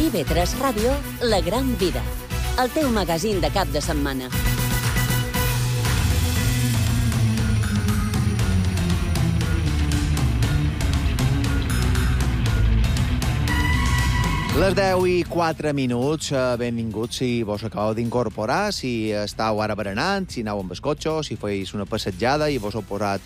IB3 Ràdio, La Gran Vida, el teu magazín de cap de setmana. Les 10:04, benvinguts si vos acabeu d'incorporar, si estàu ara berenant, si aneu amb el cotxe, si feis una passejada i vos heu posat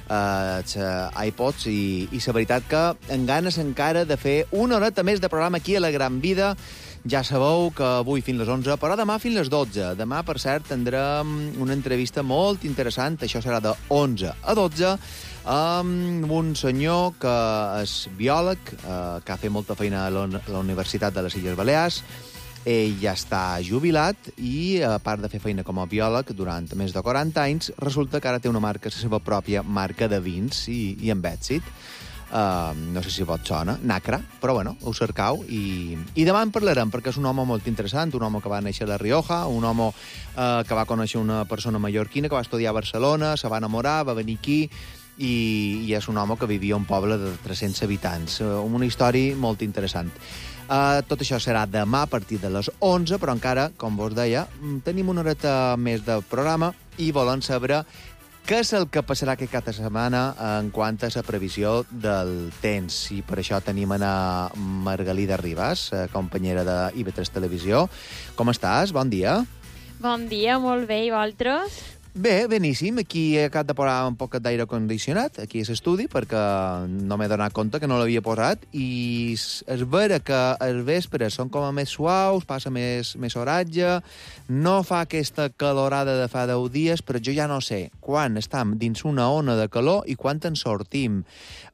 iPods i la veritat que en ganes encara de fer una horeta més de programa aquí a La Gran Vida. Ja sabeu que avui fins les 11, però demà fins les 12. Demà, per cert, tindrem una entrevista molt interessant, això serà de 11 a 12, amb un senyor que és biòleg, que ha fet molta feina a la Universitat de les Illes Balears. Ell ja està jubilat i, a part de fer feina com a biòleg durant més de 40 anys, resulta que ara té la seva pròpia marca de vins i amb èxit. No sé si vos sona, Nacra, però bueno, ho cercau i demà en parlarem, perquè és un home molt interessant, un home que va néixer a La Rioja, un home que va conèixer una persona mallorquina que va estudiar a Barcelona, se va enamorar, va venir aquí i és un home que vivia a un poble de 300 habitants. Una història molt interessant. Tot això serà demà a partir de les 11, però encara, com vos deia, tenim una horeta més de programa i volem saber què és el que passarà aquest cap de setmana en quant a la previsió del temps. I per això tenim a Margalida Ribas, companyera de IB3 Televisió. Com estàs? Bon dia. Bon dia, molt bé. I vosaltres? Bé, beníssim. Aquí he acabat de posar un poc d'aire condicionat, aquí a l'estudi, perquè no m'he donat compte que no l'havia posat, i és vera que els vespres són com a més suaus, passa més oratge, no fa aquesta calorada de fa 10 dies, però jo ja no sé quan estem dins una ona de calor i quan en sortim.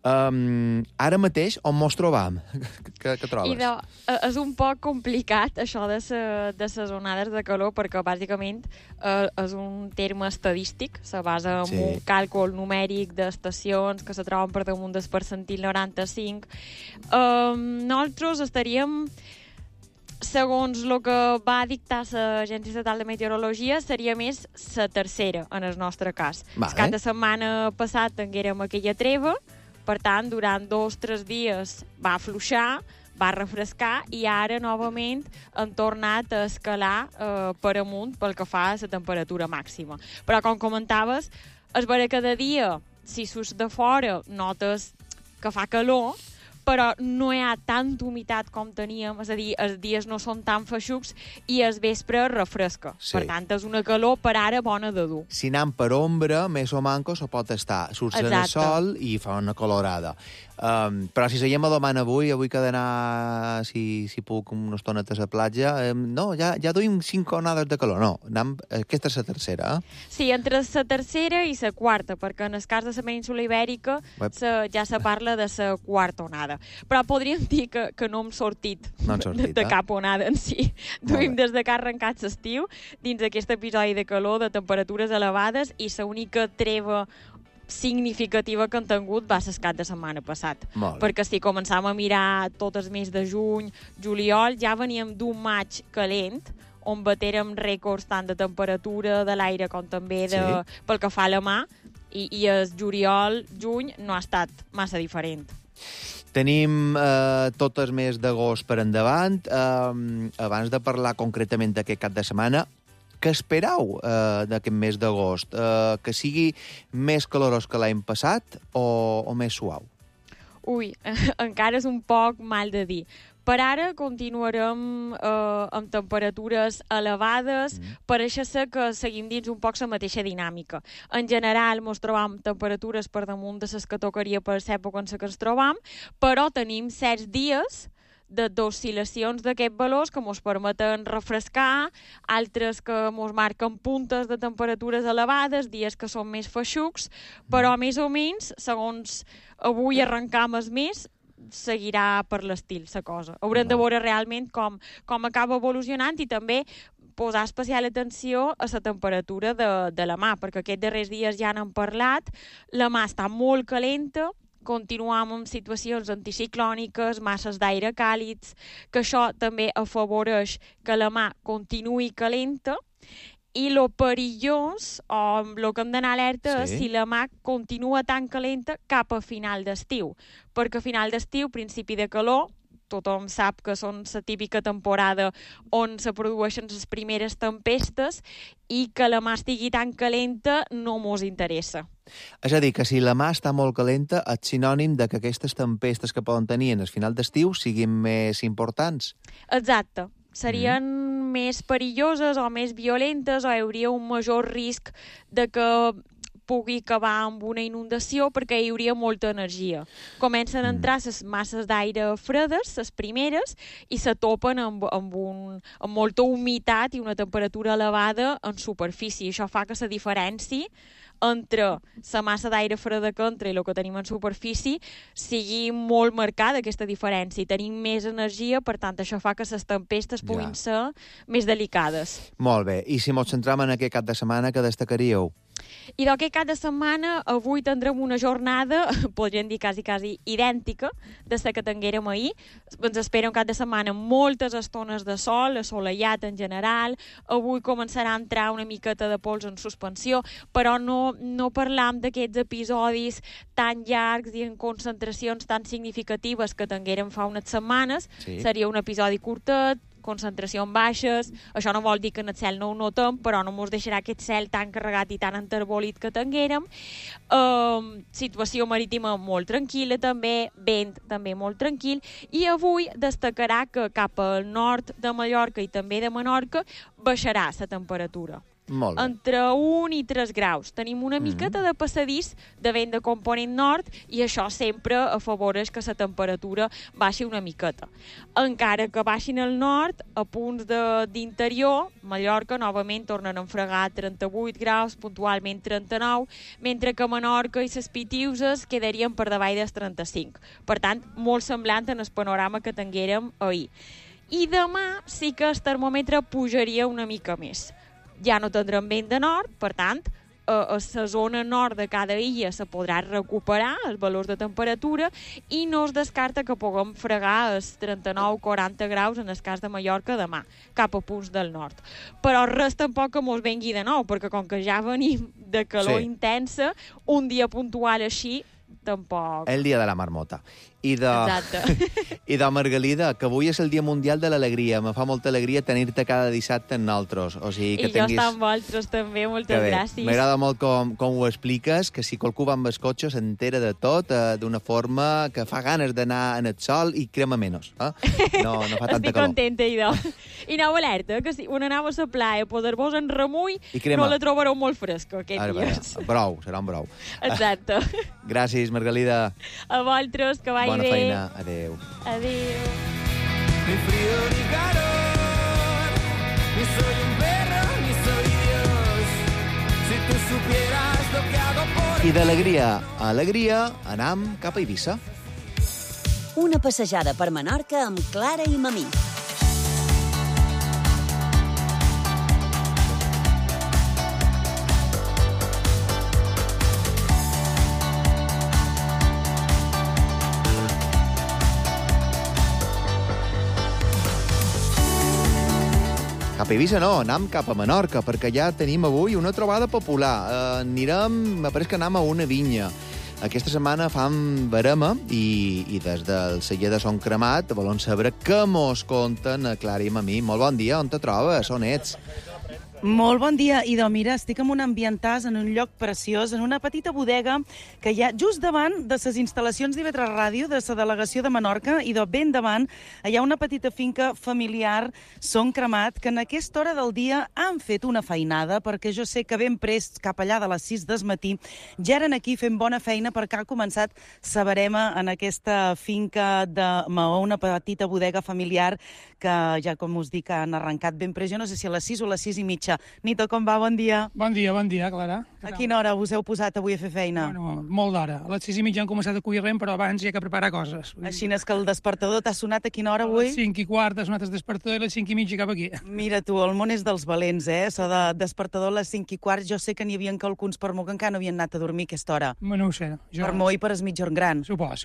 Ara mateix, on mos trobam? Què trobes? És un poc complicat, això de les onades de calor, perquè bàsicament és un terme estadístic, se basa en un càlcul numèric d'estacions que se troben per damunt del percentil 95. Nosaltres estaríem, segons el que va dictar l'Agència Estatal de Meteorologia, seria més la tercera, en el nostre cas. El cap de setmana passat tinguérem aquella treva, per tant, durant 2 o 3 dies va afluixar, va refrescar i ara novament han tornat a escalar per amunt pel que fa a la temperatura màxima. Però, com comentaves, és vera que de dia, si surts de fora, notes que fa calor, però no hi ha tanta humitat com teníem, és a dir, els dies no són tan feixucs i el vespre refresca. Sí. Per tant, és una calor per ara bona de dur. Si anem per ombra, més o manco se pot estar. Surts en el sol i fa una calorada. Però si seguim a domant avui que he d'anar, si puc, una estoneta a la platja, no, ja duim 5 onades de calor. No, aquesta és la tercera. Sí, entre la tercera i la quarta, perquè en el cas de la península Ibèrica ja se parla de la quarta onada. Però podríem dir que no hem sortit, de cap onada en si. Duim des de que ha arrencat l'estiu, dins d'aquest episodi de calor, de temperatures elevades, i l'única treva significativa que han tingut va ser el cap de setmana passat. Perquè si començàvem a mirar tot el mes de juny, juliol, ja veníem d'un maig calent, on batérem rècords tant de temperatura de l'aire com també pel que fa a la mà, i el juliol-juny no ha estat massa diferent. Tenim tot el mes d'agost per endavant. Abans de parlar concretament d'aquest cap de setmana, què esperau d'aquest mes d'agost? Que sigui més calorós que l'any passat o més suau? Ui, encara és un poc mal de dir. Per ara continuarem amb temperatures elevades, pareix ser que seguim dins un poc la mateixa dinàmica. En general, ens trobam temperatures per damunt de les que tocaria per l'època en què ens trobam, però tenim certs dies d'oscil·lacions d'aquests valors que ens permeten refrescar, altres que ens marquen puntes de temperatures elevades, dies que són més feixucs, però més o menys, segons avui arrencam el mes, seguirà per l'estil, la cosa. Haurem de veure realment com acaba evolucionant i també posar especial atenció a la temperatura de la mà, perquè aquests darrers dies ja n'hem parlat, la mà està molt calenta, continuam amb situacions anticiclòniques, masses d'aire càlids, que això també afavoreix que la mà continuï calenta, i lo perillós, o el que hem d'anar alerta, és si la mà continua tan calenta cap a final d'estiu. Perquè a final d'estiu, principi de calor, tothom sap que són la típica temporada on se produeixen les primeres tempestes i que la mà estigui tan calenta no mos interessa. És a dir, que si la mà està molt calenta, és sinònim de que aquestes tempestes que poden tenir en el final d'estiu siguin més importants. Exacte. Serien més perilloses o més violentes, o hi hauria un major risc de que pugui acabar amb una inundació perquè hi hauria molta energia. Comencen a entrar les masses d'aire fredes, les primeres, i se topen amb molta humitat i una temperatura elevada en superfície. Això fa que la diferència entre la massa d'aire freda que entra i el que tenim en superfície sigui molt marcada, aquesta diferència. Tenim més energia, per tant, això fa que les tempestes puguin ser més delicades. Molt bé. I si ens centram en aquest cap de setmana, què destacaríeu? I d'aquest cap de setmana, avui tindrem una jornada, podríem dir quasi idèntica, de la que tinguérem ahir. Ens espera un cap de setmana moltes estones de sol, assolellat en general. Avui començarà a entrar una miqueta de pols en suspensió, però no parlam d'aquests episodis tan llargs i en concentracions tan significatives que tinguérem fa unes setmanes. Sí. Seria un episodi curtet, concentracions baixes. Això no vol dir que en el cel no ho notem, però no ens deixarà aquest cel tan carregat i tan enterbolit que tinguérem. Situació marítima molt tranquil·la també, vent també molt tranquil, i avui destacarà que cap al nord de Mallorca i també de Menorca baixarà la temperatura. Molt bé. Entre 1 i 3 graus. Tenim una miqueta de passadís de vent de component nord i això sempre afavoreix que la temperatura baixi una miqueta. Encara que baixin al nord, a punts d'interior, Mallorca novament tornen a enfregar 38 graus, puntualment 39, mentre que Menorca i les Pitiuses quedarien per davall dels 35. Per tant, molt semblant en el panorama que tinguérem ahir. I demà sí que el termòmetre pujaria una mica més. Ja no tindrem vent de nord, per tant, a la zona nord de cada illa se podrà recuperar els valors de temperatura i no es descarta que puguem fregar els 39-40 graus en el cas de Mallorca demà, cap a punts del nord. Però res tampoc que mos vengui de nou, perquè com que ja venim de calor intensa, un dia puntual així tampoc. El dia de la marmota. I de Margalida, que avui és el Dia Mundial de l'Alegria. Me fa molta alegria tenir-te cada dissabte amb nosaltres. O sigui, que I jo estar amb vosaltres també, moltes gràcies. M'agrada molt com ho expliques, que si qualcú va amb el cotxe s'entera de tot d'una forma que fa ganes d'anar en el sol i crema menys. No fa tanta Estic calor. contenta, idò. I aneu alerta, que si un anava a la playa a poder-vos en remull, no la trobareu molt fresca aquests dies. Brou, serà un brou. Exacte. Gràcies, Margalida. A vosaltres, que vagi Bona bé. feina. Adéu. Adéu. Ni frío ni calor, ni soy un perro, ni soy Dios. Si tú supieras lo que hago por... I d'alegria a alegria anam cap a Eivissa. Una passejada per Menorca amb Clara i Mamí. Cap a Eivissa no, anam cap a Menorca, perquè ja tenim avui una trobada popular. Me pareix que anam a una vinya. Aquesta setmana fan verema i des del celler de Son Cremat volem saber què mos conten a Clara i Mamí. Molt bon dia, on te trobes? On ets? Molt bon dia, Idò. Mira, estic en un ambientàs, en un lloc preciós, en una petita bodega que hi ha just davant de les instal·lacions d'IV3 Ràdio, de la delegació de Menorca, i ben davant hi ha una petita finca familiar, Son Cremat, que en aquesta hora del dia han fet una feinada, perquè jo sé que ben prest, cap allà de les 6 del matí, ja eren aquí fent bona feina perquè ha començat la verema en aquesta finca de Maó, una petita bodega familiar que ja, com us dic, han arrencat ben prest. Jo no sé si a les 6 o a les 6 i mitja. Nito, com va? Bon dia. Bon dia, Clara. A quina hora us heu posat avui a fer feina? Bueno, molt d'hora. A les 6 i mitja hem començat a collir rem, però abans hi ha que preparar coses. Així és que el despertador t'ha sonat a quina hora avui? A les 5 i quart ha sonat el despertador i a les 5 i mitja cap aquí. Mira tu, el món és dels valents, Això de despertador a les 5 i quart, jo sé que n'hi havia alguns per mo que encara no havien anat a dormir a aquesta hora. No ho sé. Per mo i per es mitjorn gran. Supos.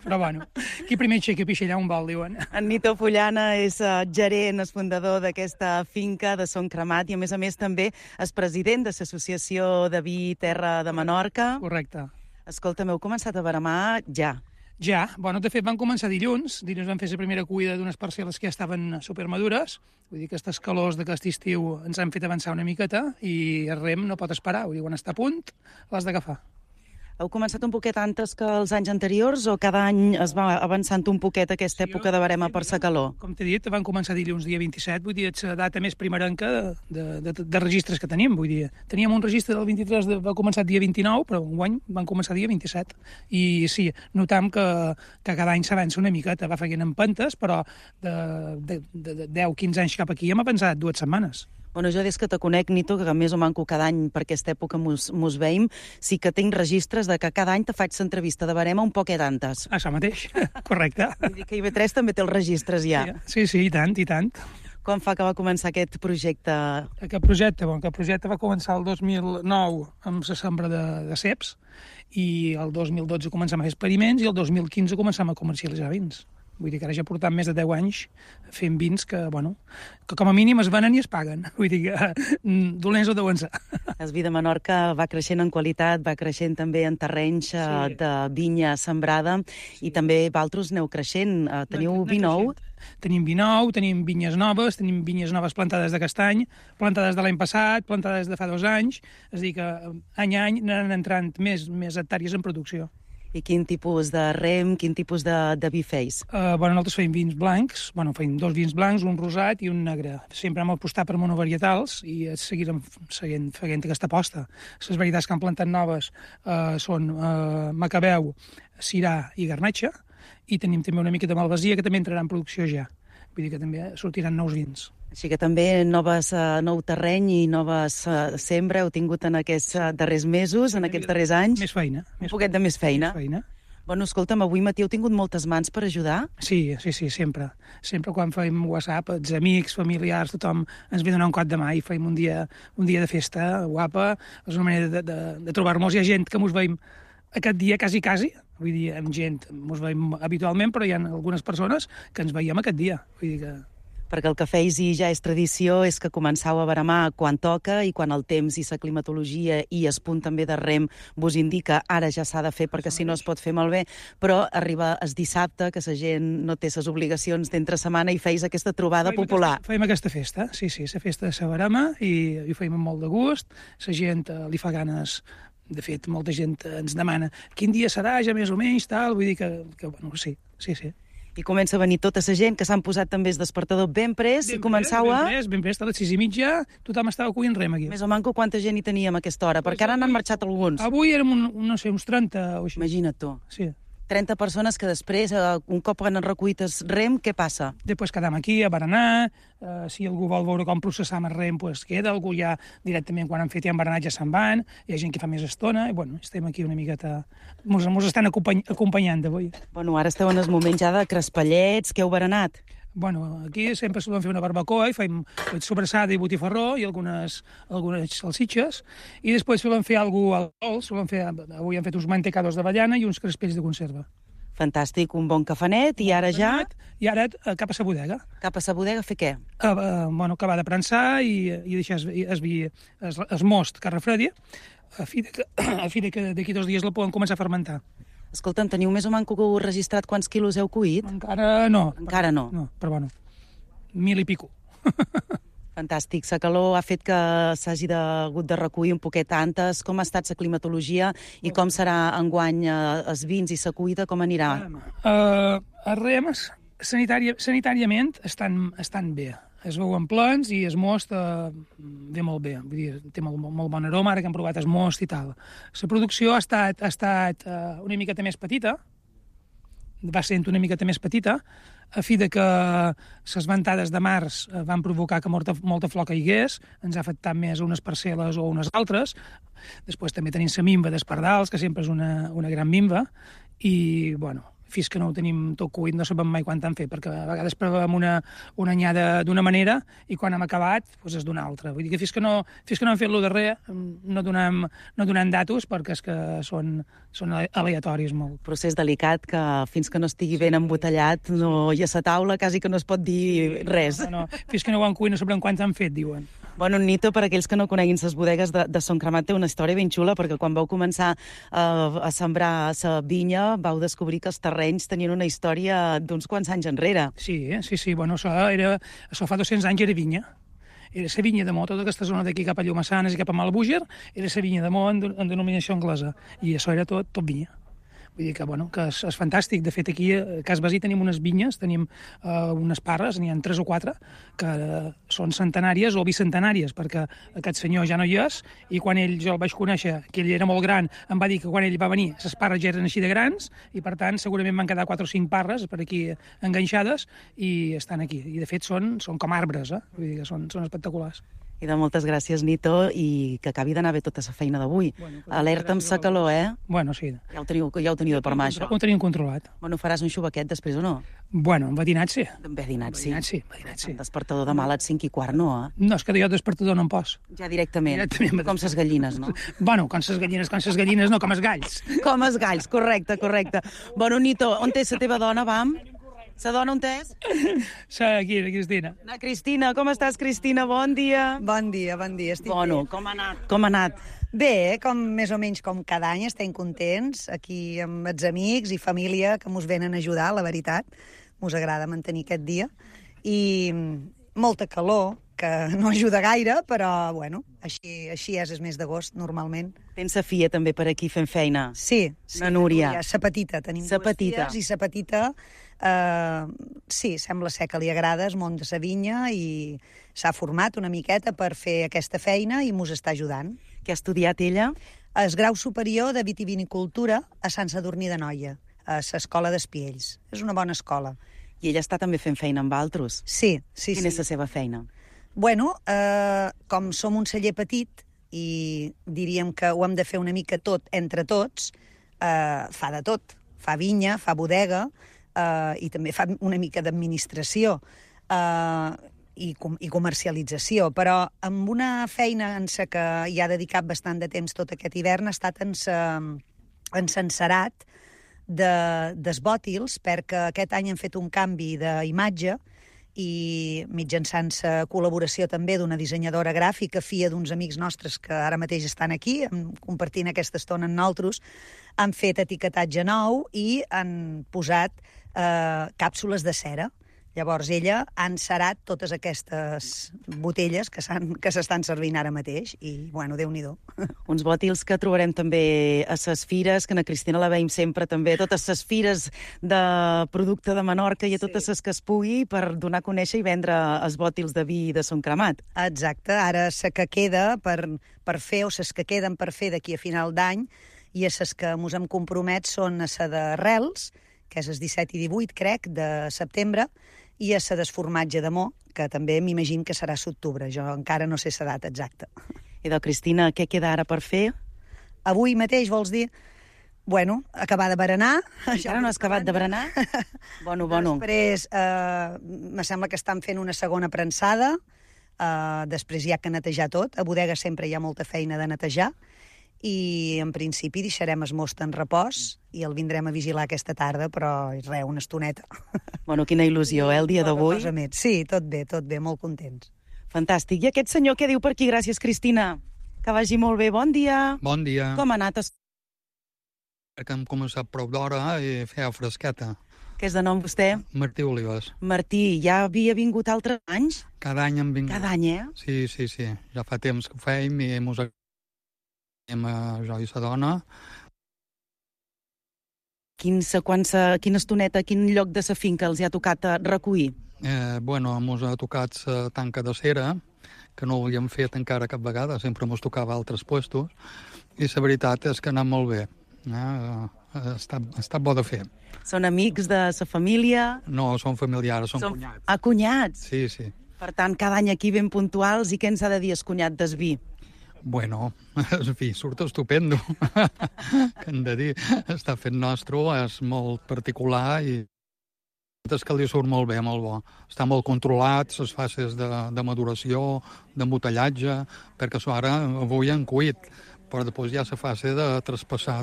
Però bueno, qui primer aixeca pixellà un vol, diuen. En Nito Fullana és gerent, és fundador d'aquesta finca de Son Cremat i, a més també, és president de l'Associació de Vi Terra de Menorca. Correcte. Escolta, m'heu començat a veremar ja. Ja, bueno, de fet van començar dilluns van fer la primera cuida d'unes parcel·les que ja estaven supermadures, vull dir que aquestes calors d'aquest estiu ens han fet avançar una miqueta i el rem no pot esperar, vull dir, quan està a punt l'has d'agafar. Heu començat un poquet antes que els anys anteriors o cada any es va avançant un poquet aquesta època de barema per sa calor? Com t'he dit, van començar dilluns dia 27, vull dir, és la data més primerenca de registres que tenim, vull dir. Teníem un registre del 23, va començar dia 29, però enguany van començar dia 27. I sí, notam que cada any s'avança una miqueta, va feien empentes, però de 10-15 anys cap aquí hem avançat 2 setmanes. Bueno, jo des que te conec, Nito, que més o manco cada any per aquesta època mos veiem, sí que tinc registres de que cada any te faig l'entrevista de barema un poquet antes. Això mateix, correcte. Vull dir que IB3 també té els registres ja. Sí, i tant, i tant. Com fa que va començar aquest projecte? Aquest projecte va començar el 2009 amb la sembra de ceps i el 2012 començam a fer experiments i el 2015 començam a comercialitzar vins. Vull dir que ara ja portam més de 10 anys fent vins que com a mínim es venen i es paguen. Vull dir que dolents ho deuen ser. El vi de Menorca va creixent en qualitat, va creixent també en terrenys de vinya sembrada i també vosaltres aneu creixent. Teniu vi nou? Tenim vi nou, tenim vinyes noves plantades d'aquest any, plantades de l'any passat, plantades de fa 2 anys. És a dir que any a any anen entrant més hectàrees en producció. I quin tipus de rem, quin tipus de vi feis? Nosaltres feim vins blancs, feim 2 vins blancs, un rosat i un negre. Sempre hem apostat per monovarietals i seguirem fent aquesta aposta. Les varietats que han plantat noves són Macabeu, Syrah i Garnatxa, i tenim també una mica de Malvasia que també entrarà en producció ja. Vull dir que també sortiran nous vins. Així que també nou terreny i noves sembra heu tingut en aquests darrers mesos, en aquests darrers anys. Més feina. Un poquet de més feina. Bueno, escolta'm, avui matí heu tingut moltes mans per ajudar? Sí, sempre. Sempre quan fem WhatsApp, els amics, familiars, tothom ens ve donar un cop de mà i fem un dia de festa guapa. És una manera de trobar-nos. Hi ha gent que mos veiem aquest dia quasi. Vull dir, amb gent mos veiem habitualment, però hi ha algunes persones que ens veiem aquest dia. Vull dir que... Perquè el que feis i ja és tradició és que començau a baremar quan toca i quan el temps i la climatologia i el punt també de rem vos indica ara ja s'ha de fer perquè si no es pot fer malbé, però arriba el dissabte que la gent no té les obligacions d'entre setmana i feis aquesta trobada popular. Fem aquesta festa, sí, la festa de la barema i ho fem amb molt de gust, la gent li fa ganes. De fet, molta gent ens demana quin dia serà, ja més o menys, tal, vull dir que sí. I comença a venir tota la gent que s'han posat també el despertador ben pres i començau a... Ben pres, a les 6:30, tothom estava cuint rem aquí. Més o manco quanta gent hi teníem a aquesta hora, perquè ara n'han marxat alguns. Avui érem, uns 30 o així. Imagina't tu. Sí. 30 persones que després, un cop han recollit el rem, què passa? Després quedam aquí a berenar, si algú vol veure com processam el rem, queda, algú ja directament quan han fet i han berenat ja se'n van, hi ha gent que fa més estona, i estem aquí una miqueta... Mos estan acompanyant d'avui. Ara esteu en el moment ja de crespellets, que heu berenat? Aquí sempre solem fer una barbacoa i fem sobrassada i botifarró i algunes salsitxes, i després solem fer alguna cosa avui hem fet uns mantecados d'avellana i uns crespells de conserva. Fantàstic, un bon cafanet, i ara ja... I ara cap a la bodega. Cap a la bodega a fer què? Acabar de prensar i deixar el most que refredi, a fi que d'aquí 2 dies la poden començar a fermentar. Escolta'm, teniu més o manco registrat quants quilos heu cuit? Encara no. Encara no? No, però 1.000 i pico. Fantàstic. La calor ha fet que s'hagi hagut de recollir un poquet antes. Com ha estat la climatologia i com serà enguany els vins i la cuita? Com anirà? Els rems, sanitàriament, estan bé. Es veuen plens i el most ve molt bé. Vull dir, té molt bon aroma, ara que hem provat el most i tal. La producció ha estat una miqueta més petita, va sent una miqueta més petita, a fi de que les ventades de març van provocar que molta flor caigués, ens ha afectat més a unes parcel·les o a unes altres. Després també tenim la mimba d'Espardals, que sempre és una gran mimba, i, fins que no ho tenim tot cuit no sabem mai quan han fet, perquè a vegades provem una anyada d'una manera i quan hem acabat és d'una altra. Vull dir que fins que no hem fet lo darrer no donem datos perquè és que són aleatoris molt. Procés delicat que fins que no estigui ben embotellat i a la taula quasi que no es pot dir res. No, fins que no ho han cuit no sabrem quants han fet, diuen. Bueno, Nito, per aquells que no coneguin les bodegues de Son Cremat, té una història ben xula, perquè quan vau començar a sembrar la vinya, vau descobrir que els terrenys tenien una història d'uns quants anys enrere. Sí, bueno, això fa 200 anys era vinya. Era la vinya de Mó, tota aquesta zona d'aquí cap a Llomassanes i cap a Malbúger, era la vinya de Mó en denominació anglesa, i això era tot vinya. Vull dir que, bueno, que és fantàstic. De fet, aquí a Cas Basí tenim unes vinyes, tenim unes parres, n'hi ha 3 o 4, que són centenàries o bicentenàries, perquè aquest senyor ja no hi és, i quan jo el vaig conèixer, que ell era molt gran, em va dir que quan ell va venir, les parres ja eren així de grans, i per tant segurament van quedar 4 o 5 parres per aquí enganxades, i estan aquí. I de fet són com arbres, vull dir que són espectaculars. I de moltes gràcies, Nito, i que acabi d'anar bé tota la feina d'avui. Bueno, alerta amb sa calor, Bueno, sí. Ja ho teniu de per mà, això. Ho tenim controlat. Bueno, faràs un xubaquet després o no? Bueno, un badinat sí. Un badinat sí. El despertador demà a les 5:15, no, No, és que jo despertador no em pos. Ja directament com ses gallines, no? Bueno, com ses gallines no, com els galls. Com els galls, correcte. Bueno, Nito, on és la teva dona, vam? La dona on és? Aquí, la Cristina. La Cristina, com estàs, Cristina? Bon dia. Bon dia, estic bé. Com ha anat? Bé, més o menys com cada any, estem contents, aquí amb els amics i família que mos venen a ajudar, la veritat. Mos agrada mantenir aquest dia. I molta calor, que no ajuda gaire, però, bueno, així és el mes d'agost, normalment. Tens la filla també per aquí fent feina? Sí. La Núria. Sa petita, tenim 2 filles, i sa petita, sí, sembla ser que li agrada el món de sa vinya i s'ha format una miqueta per fer aquesta feina i mos està ajudant. Què ha estudiat ella? El grau superior de vitivinicultura a Sant Sadurní d'Anoia, a l'Escola d'Espiells. És una bona escola. I ella està també fent feina amb altres? Sí. Quina és la seva feina? Bueno, com som un celler petit i diríem que ho hem de fer una mica tot entre tots, fa de tot. Fa vinya, fa bodega i també fa una mica d'administració i comercialització, però amb una feina en la que hi ha dedicat bastant de temps tot aquest hivern ha estat en Senserat dels bòtils, perquè aquest any han fet un canvi d'imatge i mitjançant la col·laboració també d'una dissenyadora gràfica, filla d'uns amics nostres que ara mateix estan aquí, compartint aquesta estona amb nosaltres, han fet etiquetatge nou i han posat càpsules de cera. Llavors ella ha encerat totes aquestes botelles que s'estan servint ara mateix i, bueno, Déu-n'hi-do. Uns bòtils que trobarem també a les fires, que a Cristina la veiem sempre també, a totes les fires de producte de Menorca i a totes les que es pugui per donar a conèixer i vendre els bòtils de vi de Son Cremat. Exacte, ara la que queda per fer o les que queden per fer d'aquí a final d'any i a les que mos hem compromet són a la de Rels, que és el 17 i 18, crec, de setembre, i a la desformatge de Mó, que també m'imagino que serà a l'octubre. Jo encara no sé la data exacta. I de Cristina, què queda ara per fer? Avui mateix, vols dir? Bueno, acabar de berenar. Encara no has acabat de berenar? Bueno. Després, me sembla que estan fent una segona premsada, després hi ha que netejar tot. A bodega sempre hi ha molta feina de netejar, i en principi deixarem el most en repòs i el vindrem a vigilar aquesta tarda, però res, una estoneta. Bueno, quina il·lusió, el dia d'avui? Sí, tot bé, molt contents. Fantàstic. I aquest senyor què diu per aquí? Gràcies, Cristina. Que vagi molt bé. Bon dia. Bon dia. Com ha anat? Que hem començat prou d'hora i feia fresqueta. Què és de nom vostè? Martí Olives. Martí, ja havia vingut altres anys? Cada any hem vingut. Cada any, Sí. Ja fa temps que ho feim i mos jo i sa dona. Quina estoneta, quin lloc de sa finca els ha tocat recollir? Mos ha tocat la tanca de cera, que no ho havíem fet encara cap vegada, sempre mos tocava altres puestos, i la veritat és que ha anat molt bé. Ha estat bo de fer. Són amics de sa família? No, són familiars, són cunyats. Ah, cunyats? Sí. Per tant, cada any aquí ben puntuals, i què ens ha de dir el cunyat del vi? Bueno, el vi surt estupendo. Que hem de dir, està fet nostre, és molt particular i és que li surt molt bé, molt bo. Està molt controlat, les fases de maduració, d'embotellatge, perquè això ara avui han cuit, però després hi ha la fase de traspassar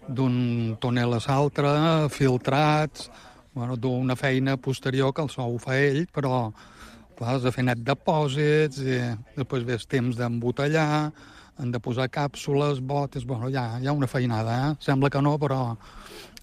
d'un tonel a l'altre, filtrats, d'una feina posterior que el so ho fa ell, però Clar, has de fer net depòsits, i després ve el temps d'embotellar, han de posar càpsules, botes... Bueno, hi ha una feinada, Sembla que no, però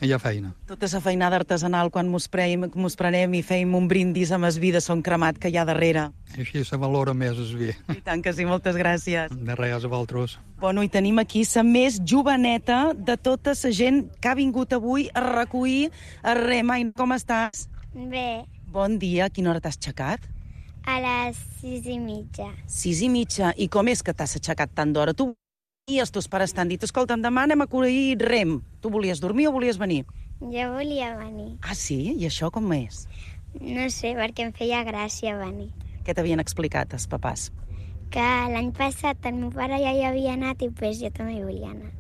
hi ha feina. Tota la feinada artesanal, quan mos prenem i feim un brindis amb el vi de son cremat que hi ha darrere. I així se valora més el vi. I tant que sí, moltes gràcies. De res, a vosaltres. Bueno, i tenim aquí la més joveneta de tota la gent que ha vingut avui a recollir el rem. Ai, com estàs? Bé, Bon dia, a quina hora t'has aixecat? a les 6:30. 6:30. I com és que t'has aixecat tant d'hora? Tu i els teus pares t'han dit, escolta'm, demà anem a collir rem. Tu volies dormir o volies venir? Jo volia venir. Ah, sí? I això com és? No sé, perquè em feia gràcia venir. Què t'havien explicat els papàs? Que l'any passat el meu pare ja hi havia anat i pues jo també hi volia anar.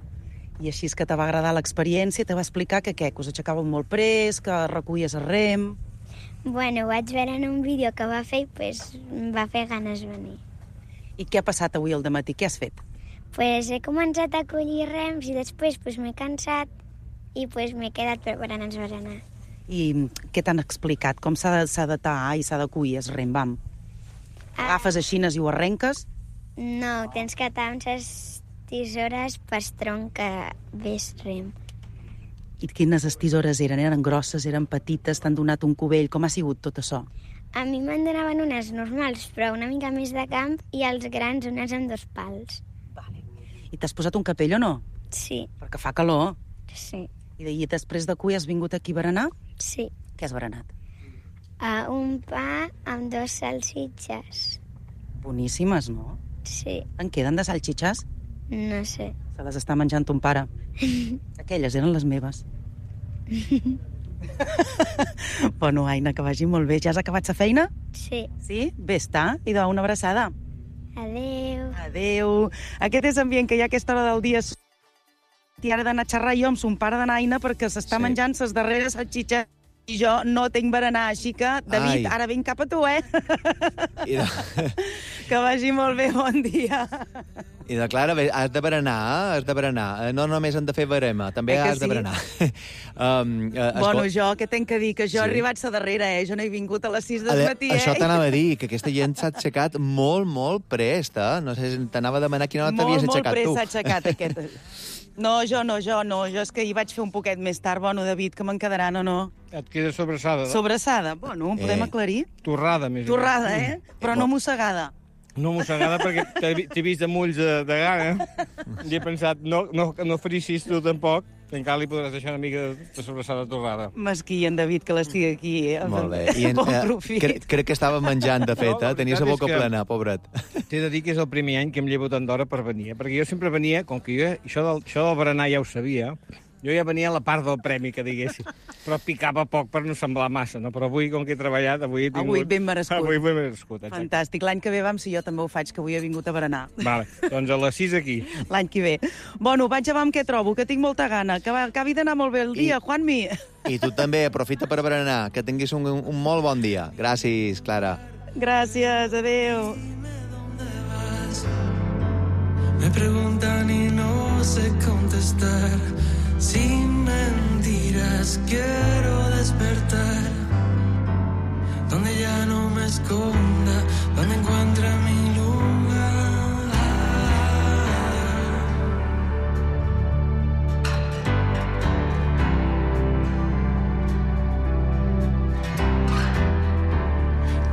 I així és que te va agradar l'experiència, te va explicar que què, que us aixecàveu molt près, que recollies el rem... Bueno, ho vaig veure en un vídeo que va fer i pues em va fer ganes venir. I què ha passat avui al dematí? Què has fet? Pues he començat a collir rems i després pues m'he cansat i pues m'he quedat preparant els berenar. I què t'han explicat? Com s'ha de tallar i s'ha de collir el rem, vam? Agafes aixines i ho arrenques? No, tens que tallar amb les tisores per tronc que ves rem. I quines tisores eren? Eren grosses, eren petites, t'han donat un cubell? Com ha sigut tot això? A mi me'n donaven unes normals, però una mica més de camp, i els grans unes amb 2 pals. Vale. I t'has posat un capell o no? Sí, Perquè fa calor. sí, I després de cuir has vingut aquí a berenar? sí. Què has berenat? Un pa amb 2 salsitxes. Boníssimes, no? Sí, En queden de salxitxes? no sé. Se les està menjant ton pare. Aquelles eren les meves. Bueno, Aina, que vagi molt bé. Ja has acabat la feina? Sí. Sí? Bé està. I una abraçada. Adeu. Adéu. Aquest és ambient que hi ha a aquesta hora del dia. I ara he d'anar a xerrar jo amb son pare de Naina perquè s'està menjant les darreres salxitxes i jo no tinc berenar, així que, David, ara vinc cap a tu, eh? Que vagi molt bé, bon dia. I de Clara, has de berenar. No només han de fer barema, també has de berenar. Bueno, jo, què tenc que dir? Que jo he arribat a darrere, Jo no he vingut a les 6 del matí, Això t'anava a dir, que aquesta gent s'ha aixecat molt, molt prest, No sé, t'anava a demanar quina hora t'havies aixecat tu. Molt prest s'ha aixecat, aquest. No, jo és que hi vaig fer un poquet més tard. Bueno, David, que me'n quedaran o no? Et queda sobrassada. Sobrassada? Bueno, podem aclarir? Torrada, més Torrada, Però no mossegada. No mossegada perquè t'he vist amb ulls de gana i he pensat, no faries tu tampoc, encara li podràs deixar una mica de sobrassada torrada. Mesquí, en David, que l'estigui aquí. Molt bé. Crec que estava menjant, de fet, Tenia la boca plena, pobret. T'he de dir que és el primer any que em llevo tant d'hora per venir, perquè jo sempre venia, com que jo això del berenar ja ho sabia, jo ja venia a la part del premi, que diguéssim, però picava poc per no semblar massa, no? Però avui, com que he treballat, avui he tingut... Avui ben merescut. Avui ben merescut, exacte. Fantàstic. L'any que ve vam, si jo també ho faig, que avui he vingut a berenar. Vale, doncs a les 6 aquí. L'any que ve. Bueno, vaig a veure amb què trobo, que tinc molta gana. Que acabi d'anar molt bé el dia, Juanmi. I tu també, aprofita per berenar, que tinguis un molt bon dia. Gràcies, Clara. Gràcies, adeu. Me preguntan y no sé contestar. Sin mentiras quiero despertar, donde ya no me esconda, donde encuentre mi lugar.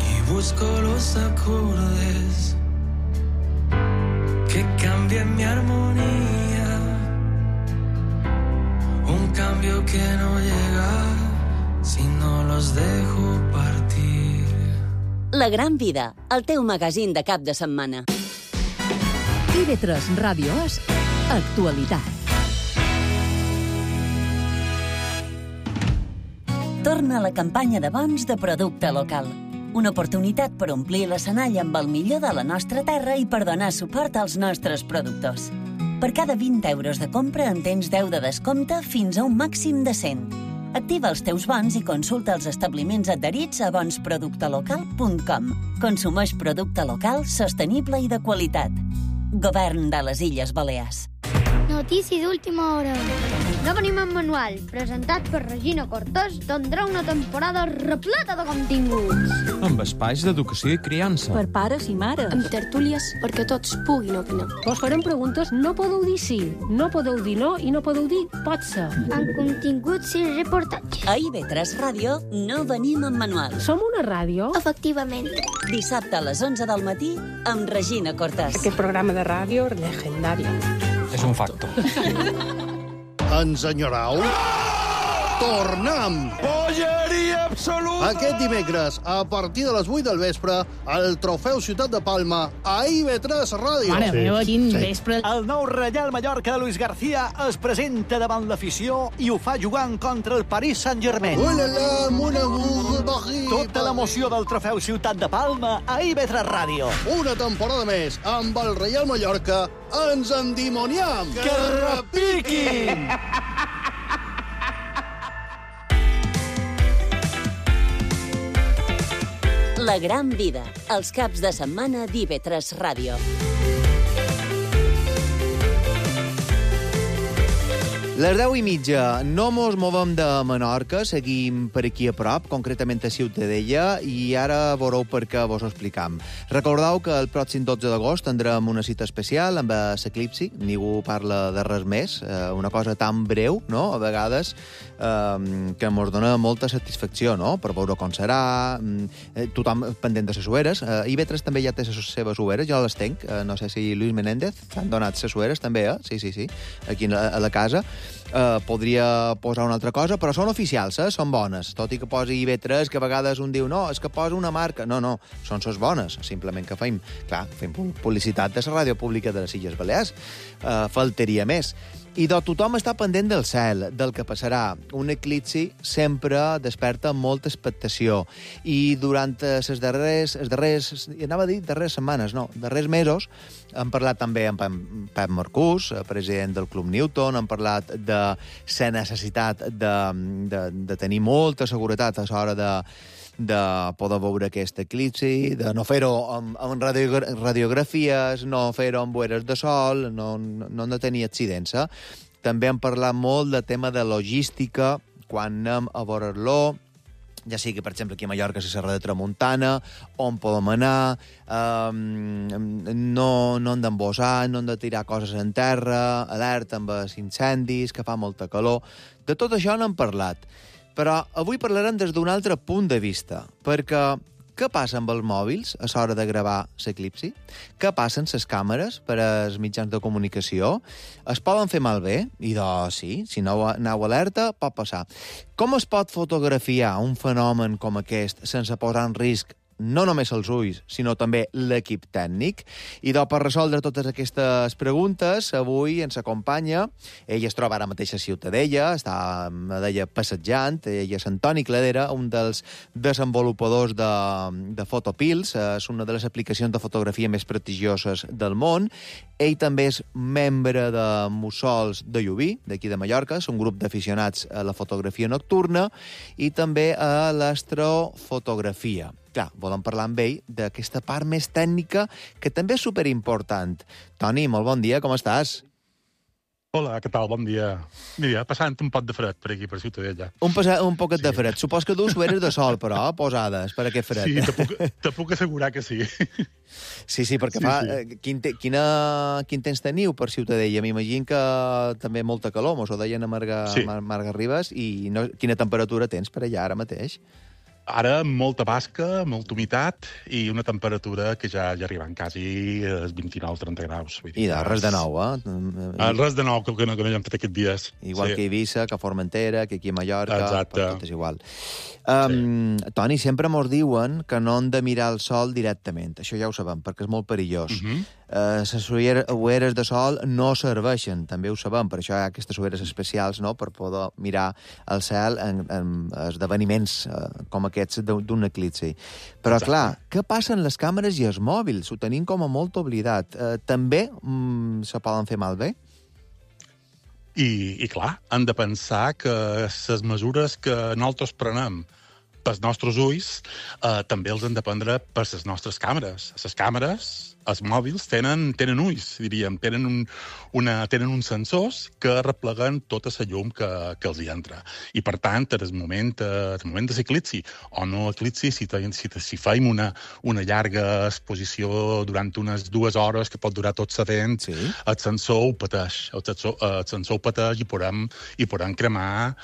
Y busco los acordes que cambien mi armonía. Un cambio que no llega si no los dejo partir. La Gran Vida, el teu magazín de cap de setmana. TV3 Ràdio És Actualitat. Torna la campanya de bons de producte local. Una oportunitat per omplir l'escenari amb el millor de la nostra terra i per donar suport als nostres productors. Per cada 20 euros de compra en tens 10 de descompte fins a un màxim de 100. Activa els teus bons i consulta els establiments adherits a bonsproductelocal.com. Consumeix producte local, sostenible i de qualitat. Govern de les Illes Balears. No notícia d'última hora. No venim en manual, presentat per Regina Cortés, tindrà una temporada repleta de continguts. Amb espais d'educació i criança. Per pares i mares. Amb tertúlies perquè tots puguin opinar. Vos farem preguntes, no podeu dir sí, no podeu dir no i no podeu dir pot ser. Amb continguts i reportatges. A IB3 Ràdio no venim en manual. Som una ràdio? Efectivament. Dissabte a les 11 del matí amb Regina Cortés. Aquest programa de ràdio legendari. És un facto. Ens enyorau? Tornem! Polleria absoluta! Aquest dimecres, a partir de les 8 del vespre, el Trofeu Ciutat de Palma a IB3 Ràdio. Mare meva, quin vespre. El nou Reial Mallorca de Luis García es presenta davant l'afició i ho fa jugant contra el Paris Saint-Germain. Ulala, mon amour, Paris. Tota l'emoció del Trofeu Ciutat de Palma a IB3 Ràdio. Una temporada més amb el Reial Mallorca ens endimoniam. Que repiquin! La gran vida, els caps de setmana d'IB3 Ràdio. Les 10:30, no mos movem de Menorca, seguim per aquí a prop, concretament a Ciutadella, i ara veureu per què vos ho explicam. Recordeu que el pròxim 12 d'agost tindrem una cita especial amb l'Eclipsi, ningú parla de res més, una cosa tan breu, no?, a vegades, que mos dona molta satisfacció, no?, per veure com serà, tothom pendent de les sueres. IB3 també ja té les seves sueres, jo les tenc, no sé si Luis Menéndez s'han donat les sueres també, Sí, aquí a la casa. Podria posar una altra cosa, però són oficials, són bones. Tot i que posi IB3, que a vegades un diu, no, és que posa una marca. No, són les bones, simplement que fem publicitat de la ràdio pública de les Illes Balears. Faltaria més. I tothom està pendent del cel, del que passarà. Un eclipsi sempre desperta molta expectació. I durant les darreres setmanes, darrers mesos, hem parlat també amb Pep Marcús, president del Club Newton, hem parlat de la necessitat de tenir molta seguretat a l'hora de poder veure aquest eclipsi, de no fer-ho amb radiografies, no fer-ho amb ulleres de sol, no hem de tenir accidents. També hem parlat molt del tema de logística, quan anem a veure-lo, ja sigui, per exemple, aquí a Mallorca, a la Serra de Tramuntana, on podem anar, no hem d'embossar, no hem de tirar coses en terra, alerta amb els incendis, que fa molta calor. De tot això n'hem parlat. Però avui parlarem des d'un altre punt de vista, perquè què passa amb els mòbils a l'hora de gravar l'eclipsi? Què passa amb les càmeres per als mitjans de comunicació? Es poden fer malbé? I sí, si no aneu alerta, pot passar. Com es pot fotografiar un fenomen com aquest sense posar en risc no només els ulls, sinó també l'equip tècnic? I per resoldre totes aquestes preguntes, avui ens acompanya, ell es troba ara mateix a Ciutadella, està, me deia, passejant, ell és Antoni Cladera, un dels desenvolupadors de Photopills, és una de les aplicacions de fotografia més prestigioses del món. Ell també és membre de Mussols de Llubí, d'aquí de Mallorca, és un grup d'aficionats a la fotografia nocturna i també a l'astrofotografia. Clar, volem parlar amb ell d'aquesta part més tècnica, que també és superimportant. Toni, molt bon dia, com estàs? Hola, què tal? Bon dia. Mira, passant un pot de fred per aquí, per Ciutadella. Un poquet de fred. Supos que dus ulleres de sol, però, posades per aquest fred. Sí, te puc assegurar que sí. Sí, perquè fa... Quin temps teniu per Ciutadella? M'imagino que també molta calor, mos ho deien a Marga Ribas, i quina temperatura tens per allà ara mateix? Ara molta basca, molta humitat i una temperatura que ja arriben quasi als 29-30 graus. I res de nou, Res de nou, que no hem fet aquests dies. Igual que Eivissa, que Formentera, que aquí a Mallorca. Exacte. Tot és igual. Toni, sempre mos diuen que no hem de mirar el sol directament. Això ja ho sabem, perquè és molt perillós. Les ulleres de sol no serveixen, també ho sabem, per això hi ha aquestes ulleres especials, no?, per poder mirar el cel en esdeveniments com aquests d'un eclipsi. Però, clar, què passa amb les càmeres i els mòbils? Ho tenim com a molt oblidat. També se poden fer malbé? I clar, hem de pensar que les mesures que nosaltres prenem pels nostres ulls també els hem de prendre per les nostres càmeres. Les càmeres els mòbils tenen ulls, diríem, tenen uns sensors que repleguen tota la llum que els hi entra. I, per tant, en el moment de l'eclipsi o no eclipsi, si feim una llarga exposició durant unes 2 hores que pot durar tot l'event, el sensor ho pateix. El sensor ho pateix i podem cremar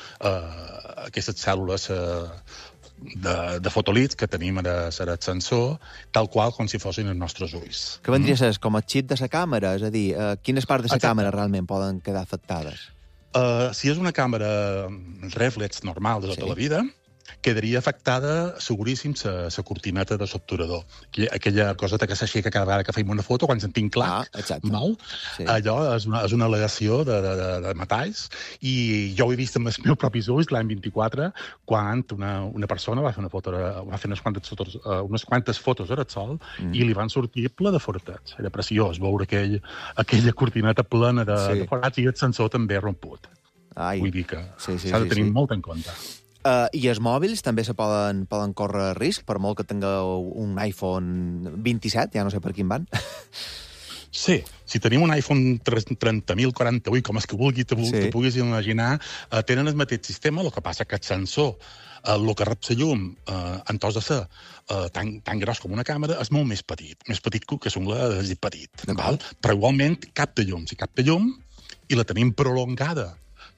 aquestes cèl·lules de fotolits que tenim al sensor, tal qual com si fossin els nostres ulls. Que vendria a ser com el xip de la càmera? És a dir, quines parts de la càmera realment poden quedar afectades? Si és una càmera reflex normal de tota la vida, quedaria afectada, seguríssim, la cortineta de l'obturador. Aquella coseta que s'aixeca cada vegada que feim una foto, quan sentim clac, allò és una al·legació de metalls, i jo ho he vist amb els meus propis ulls l'any 24, quan una persona va fer unes quantes fotos al sol i li van sortir ple de forats. Era preciós veure aquella cortineta plena de forats i el sensor també romput. Vull dir que s'ha de tenir molt en compte. I els mòbils també se poden córrer risc, per molt que tingueu un iPhone 27, ja no sé per quin van. Sí, si tenim un iPhone 30.048, com és que te puguis imaginar, tenen el mateix sistema, el que passa que el sensor, el que rep la llum, en tos de ser tan gros com una càmera, és molt més petit que l'ungla és petit, però igualment capta llum. Si capta llum i la tenim prolongada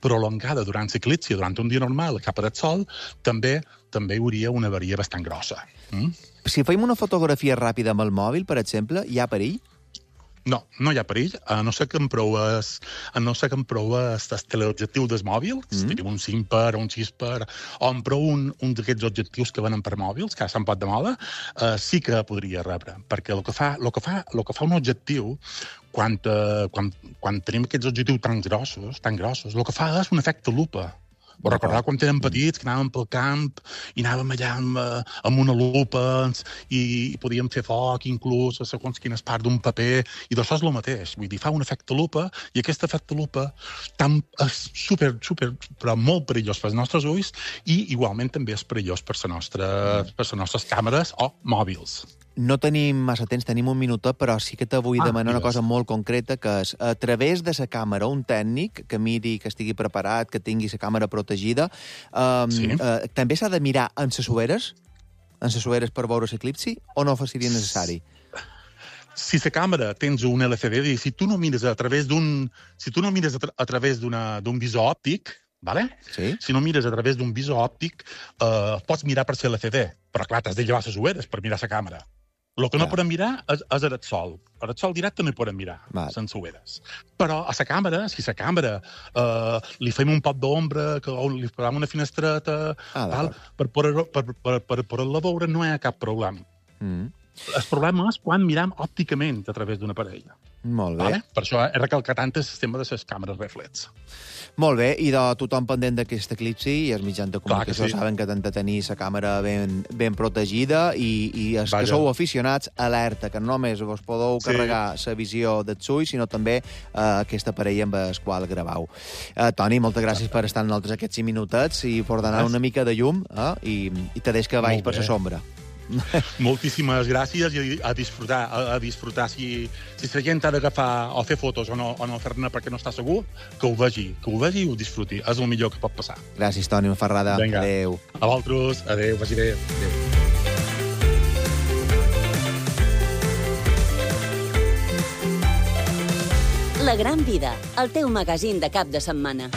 durant l'eclipsi, durant un dia normal, cap al sol, també hi hauria una avaria bastant grossa. Si feim una fotografia ràpida amb el mòbil, per exemple, hi ha perill? No hi ha perill, a no ser que em proues el teleobjectiu del mòbil, si tenim un 5x o un 6x, o em prou un d'aquests objectius que venen per mòbils, que ara se'n pot de moda, sí que podria rebre, perquè el que fa un objectiu, quan tenim aquests objectius tan grossos, el que fa és un efecte lupa. Ho recordeu quan érem petits, que anàvem pel camp i anàvem allà amb una lupa i podíem fer foc, inclús, a segons quines parts d'un paper, i d'això és el mateix. Vull dir, fa un efecte lupa, i aquest efecte lupa és super, però molt perillós pels nostres ulls, i igualment també és perillós per les nostres càmeres o mòbils. No tenim massa temps, tenim un minutet, però sí que te vull demanar una cosa molt concreta, que és, a través de la càmera, un tècnic que miri, que estigui preparat, que tingui la càmera protegida, també s'ha de mirar en les ulleres per veure l'eclipsi, o no seria necessari? Si la càmera tens un LCD, si tu no mires a través d'un visor òptic, si no mires a través d'un visor òptic, pots mirar per l'LCD, però clar, t'has de llevar les ulleres per mirar la càmera. El que no podem mirar és el sol. El sol directe no hi podem mirar, sense ulleres. Però a la càmera, si a la càmera li fem un pot d'ombra, o li posem una finestreta, per poder-la veure, no hi ha cap problema. El problema és quan miram òpticament a través d'una parella. Molt bé. Per això he recalcat tant el sistema de les càmeres reflex. Molt bé, i de tothom pendent d'aquest eclipsi, i els mitjans de comunicació saben que han de tenir la càmera ben protegida, i els que sou aficionats, alerta, que no només vos podeu carregar la visió dels ulls, sinó també aquest aparell amb el qual gravau. Toni, moltes gràcies per estar amb nosaltres aquests 5 minutets i per donar una mica de llum, i te deix que vagis per la sombra. Moltíssimes gràcies, i a disfrutar. Si la gent ha d'agafar o fer fotos o no fer-ne perquè no està segur, que ho vegi i ho disfruti. És el millor que pot passar. Gràcies, Toni Ferrada. Adéu. A vosaltres. Adéu, vagi bé. La Gran Vida, el teu magazín de cap de setmana.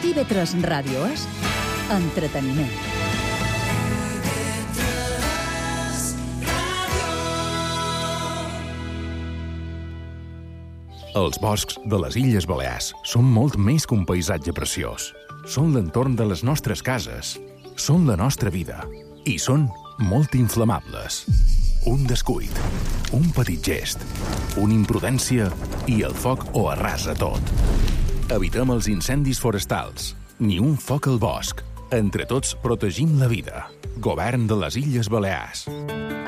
TV3 Ràdio és entreteniment. Els boscs de les Illes Balears són molt més que un paisatge preciós. Són l'entorn de les nostres cases, són la nostra vida i són molt inflamables. Un descuit, un petit gest, una imprudència i el foc ho arrasa tot. Evitem els incendis forestals, ni un foc al bosc. Entre tots protegim la vida. Govern de les Illes Balears.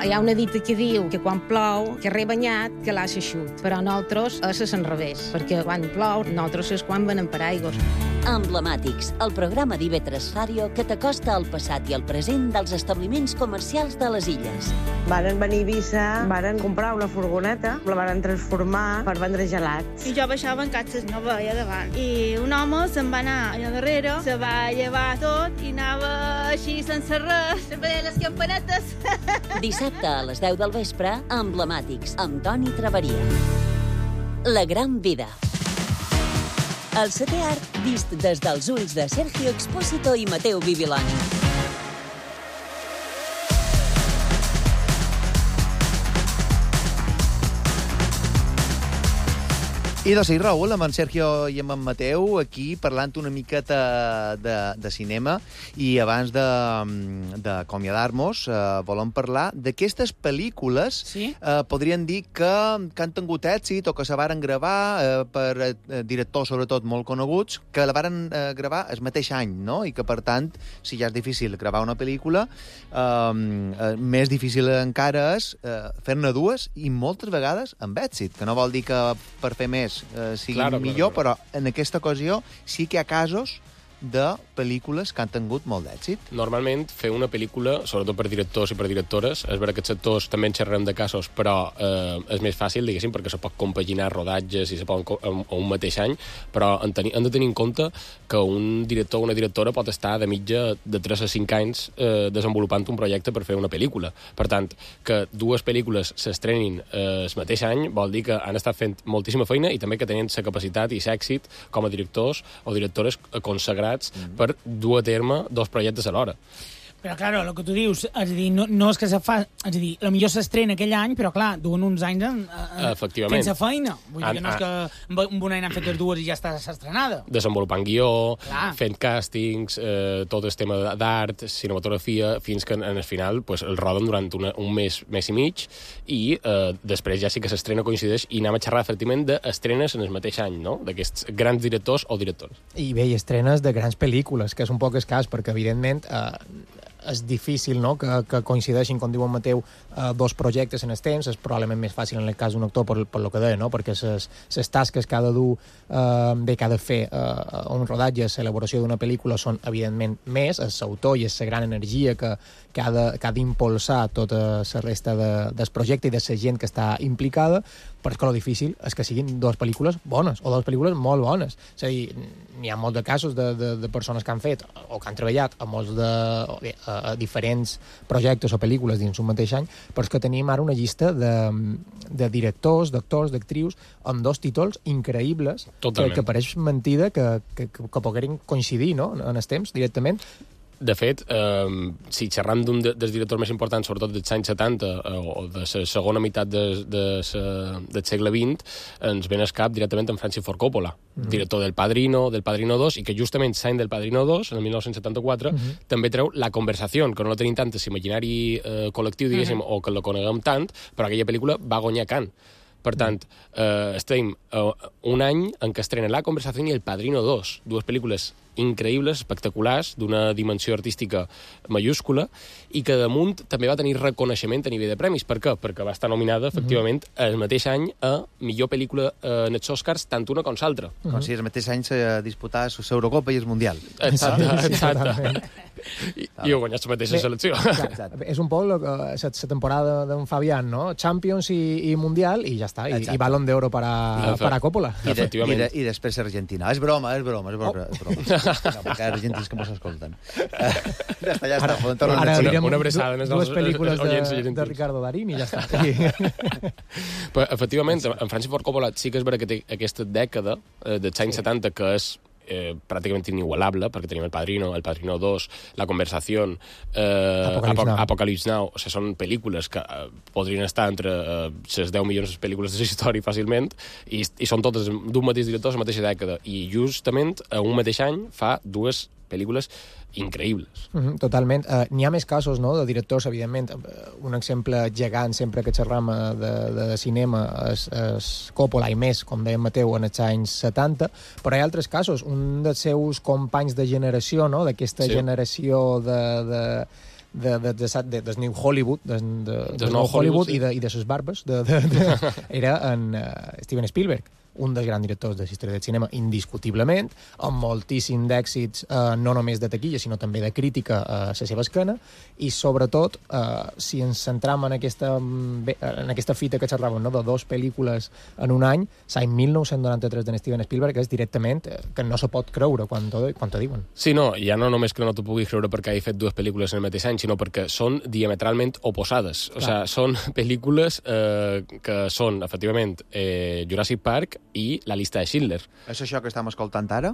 Hi ha una dita que diu que quan plou, que rebanyat, que l'ha eixut. Però nosaltres és al revés, perquè quan plou, nosaltres és quan venem per aigües. Emblemàtics, el programa d'IV3 Ràdio que t'acosta al passat i al present dels establiments comercials de les illes. Varen venir a Eivissa, varen comprar una furgoneta, la varen transformar per vendre gelats. I jo baixava en catxes, no veia davant. I un home se'n va anar allà darrere, se va llevar tot i anava així sense res, se veia les campanetes. Dissabte a les 10 del vespre, Emblemàtics, amb Toni Traveria. La gran vida. El setè art vist des dels ulls de Sergio Expósito i Mateu Bibiloni. I doncs sí, Raül, amb en Sergio i amb en Mateu, aquí parlant una miqueta de cinema, i abans d'acomiadar-nos volem parlar d'aquestes pel·lícules, podríem dir que han tingut èxit o que se varen gravar per directors, sobretot, molt coneguts, que la varen gravar el mateix any, no? I que, per tant, si ja és difícil gravar una pel·lícula, més difícil encara és fer-ne dues i moltes vegades amb èxit, que no vol dir que per fer més sigui millor, però en aquesta ocasió sí que hi ha casos de pel·lícules que han tingut molt d'èxit. Normalment, fer una pel·lícula, sobretot per directors i per directores, és vera que aquests sectors també en xerrem de casos, però és més fàcil, diguéssim, perquè se pot compaginar rodatges i se pot un mateix any, però hem de tenir en compte que un director o una directora pot estar de mitja de 3 a 5 anys desenvolupant un projecte per fer una pel·lícula. Per tant, que dues pel·lícules s'estrenin el mateix any vol dir que han estat fent moltíssima feina i també que tenien la capacitat i l'èxit com a directors o directores consagrats per dur a terme dos projectes alhora. Però, clar, el que tu dius, és a dir, no és que se fa... És a dir, potser s'estrena aquell any, però, clar, duen uns anys sense feina. Vull dir que no és que en un any han fet les dues i ja està estrenada. Desenvolupant guió, fent càstings, tot el tema d'art, cinematografia, fins que en el final el roden durant un mes i mig i després ja sí que s'estrena coincideix i anem a xerrar efectivament d'estrenes en el mateix any, no?, d'aquests grans directors o directores. I bé, i estrenes de grans pel·lícules, que és un poc escàs, perquè, evidentment, és difícil, no?, que coincideixin, com diu en Mateu, dos projectes en el temps. És probablement més fàcil en el cas d'un actor per lo que deia, no?, perquè les tasques que ha de dur, que ha de fer un rodatge, l'elaboració d'una pel·lícula són, evidentment, més. És l'autor i és la gran energia que ha d'impulsar tota la resta del projecte i de la gent que està implicada, però és que el difícil és que siguin dues pel·lícules bones, o dues pel·lícules molt bones. És a dir, n'hi ha molts de casos de persones que han fet o que han treballat a molts a diferents projectes o pel·lícules dins un mateix any, però és que tenim ara una llista de directors, d'actors, d'actrius, amb dos títols increïbles, que pareix mentida que pogueren coincidir, no?, en el temps, directament. De fet, si xerram d'un dels directors més importants, sobretot dels anys 70 o de la segona meitat del segle XX, ens ven al cap directament en Francis Ford Coppola, director del Padrino 2, i que justament l'any del Padrino 2, en el 1974, també treu La Conversación, que no la tenim tant en l'imaginari col·lectiu, diguéssim, o que la coneguem tant, però aquella pel·lícula va guanyar Cannes. Per tant, estem un any en què estrena La Conversación i El Padrino 2, dues pel·lícules increïbles, espectaculars, d'una dimensió artística mayúscula, i que damunt també va tenir reconeixement a nivell de premis. Per què? Perquè va estar nominada, efectivament, el mateix any a millor pel·lícula en els Oscars, tant una com l'altra. Com si el mateix any se disputava l'Eurocopa i el Mundial. Exacte. I ho guanyat la mateixa selecció. És un poc la temporada d'un Fabián, no? Champions i Mundial, i ja està. I Balón de Oro para Coppola. I després Argentina. És broma. No, perquè argentins que mos escolten. Ja està. Ara direm una abraçada en els dues pel·lícules de Ricardo Darín i ja està. Però, efectivament, en Francis Ford Coppola sí que és vera que té aquesta dècada dels anys 70 que és pràcticament inigualable, perquè tenim El Padrino 2, La Conversación, Apocalypse Now. O sigui, són pel·lícules que podrien estar entre les 10 milions de pel·lícules de la història fàcilment, i són totes d'un mateix director a la mateixa dècada. I justament a un mateix any fa dues pel·lícules increïbles. Totalment. N'hi ha més casos, no?, de directors, evidentment. Un exemple gegant, sempre que xerram de cinema, és Coppola, i més, com deia Mateu, en els anys 70, però hi ha altres casos. Un dels seus companys de generació, no?, d'aquesta generació del New Hollywood, del nou Hollywood i de les barbes, era en Steven Spielberg. un dels grans directors de la història del cinema, indiscutiblement, amb moltíssim d'èxits, no només de taquilla, sinó també de crítica a la seva esquena, i sobretot, si ens centram en aquesta fita que xerràvem, no?, de 2 pel·lícules en un any, l'any 1993 de Steven Spielberg és directament que no se pot creure quan t'ho diuen. Sí, no, ja no només que no t'ho puguis creure perquè hagi fet 2 pel·lícules en el mateix any, sinó perquè són diametralment oposades. O sigui, són pel·lícules que són, efectivament, Jurassic Park i La llista de Schindler. És això que estem escoltant ara?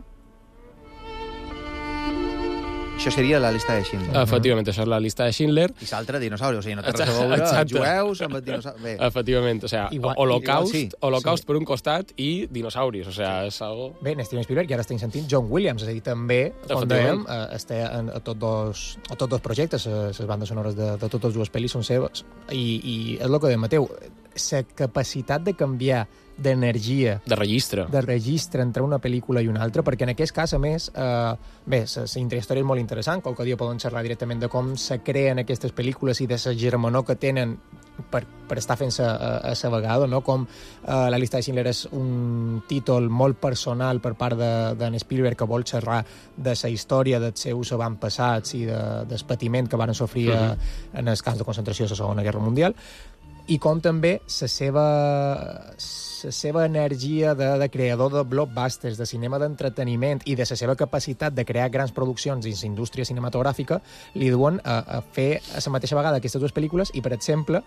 Això seria La llista de Schindler. Efectivament, això és La llista de Schindler. I l'altre, dinosauri, o sigui, no té res a veure, jueus amb el dinosauri. Efectivament, o sigui, Holocaust per un costat i dinosauris, o sigui, és algo... Bé, en Steven Spielberg, i ara estem sentint John Williams, és a dir, també, com dèiem, està a tots dos projectes, les bandes sonores de totes 2 pel·lis són seves, i és el que dèiem, Mateu, la capacitat de canviar d'energia... De registre entre una pel·lícula i una altra, perquè en aquest cas, a més, bé, la intrahistòria és molt interessant, qualque dia poden xerrar directament de com se creen aquestes pel·lícules i de la germanor que tenen per estar fent-se a la vegada, no? Com La llista de Schindler és un títol molt personal per part d'en Spielberg que vol xerrar de la història dels seus avantpassats i del patiment que van sofrir en els camps de concentració a la Segona Guerra Mundial, i com també la seva energia de creador de blockbusters, de cinema d'entreteniment i de la seva capacitat de crear grans produccions dins la indústria cinematogràfica li duen a fer a la mateixa vegada aquestes 2 pel·lícules i, per exemple,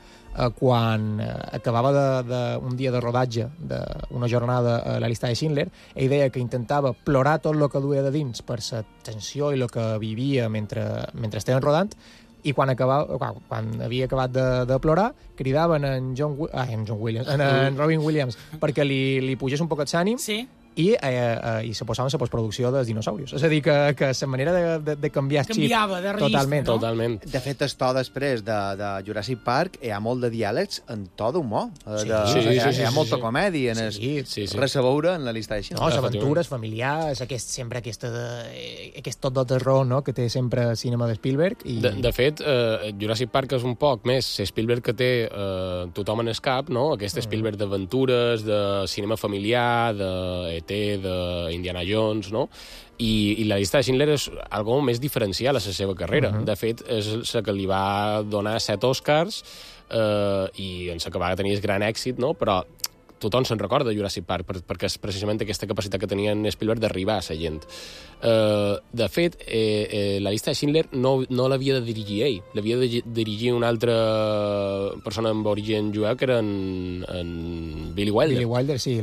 quan acabava un dia de rodatge d'una jornada a La llista de Schindler, ell deia que intentava plorar tot el que duia de dins per la tensió i el que vivia mentre estaven rodant, i quan havia acabat de plorar, cridaven en Robin Williams perquè li pugés un poquet l'ànim i se posaven a la postproducció dels dinosaurios. És a dir, que la manera de canviar el xip... Canviava de registre, no? Totalment. De fet, el to després de Jurassic Park hi ha molt de diàlegs en to d'humor. Hi ha molta comèdia, res a veure en La llista de Schindler. No, les aventures familiars, sempre aquest tot de terror, no?, que té sempre el cinema de Spielberg. De fet, Jurassic Park és un poc més Spielberg que té tothom en el cap, no? Aquest Spielberg d'aventures, de cinema familiar, de d'Indiana Jones, no? I La llista de Schindler és algo més diferencial a la seva carrera. De fet, és la que li va donar 7 Oscars i en la que va tenir el gran èxit, no? Però tothom se'n recorda de Jurassic Park perquè és precisament aquesta capacitat que tenia en Spielberg d'arribar a la gent. De fet, La llista de Schindler no l'havia de dirigir ell, l'havia de dirigir una altra persona amb origen jueu, que era en Billy Wilder. Billy Wilder, sí,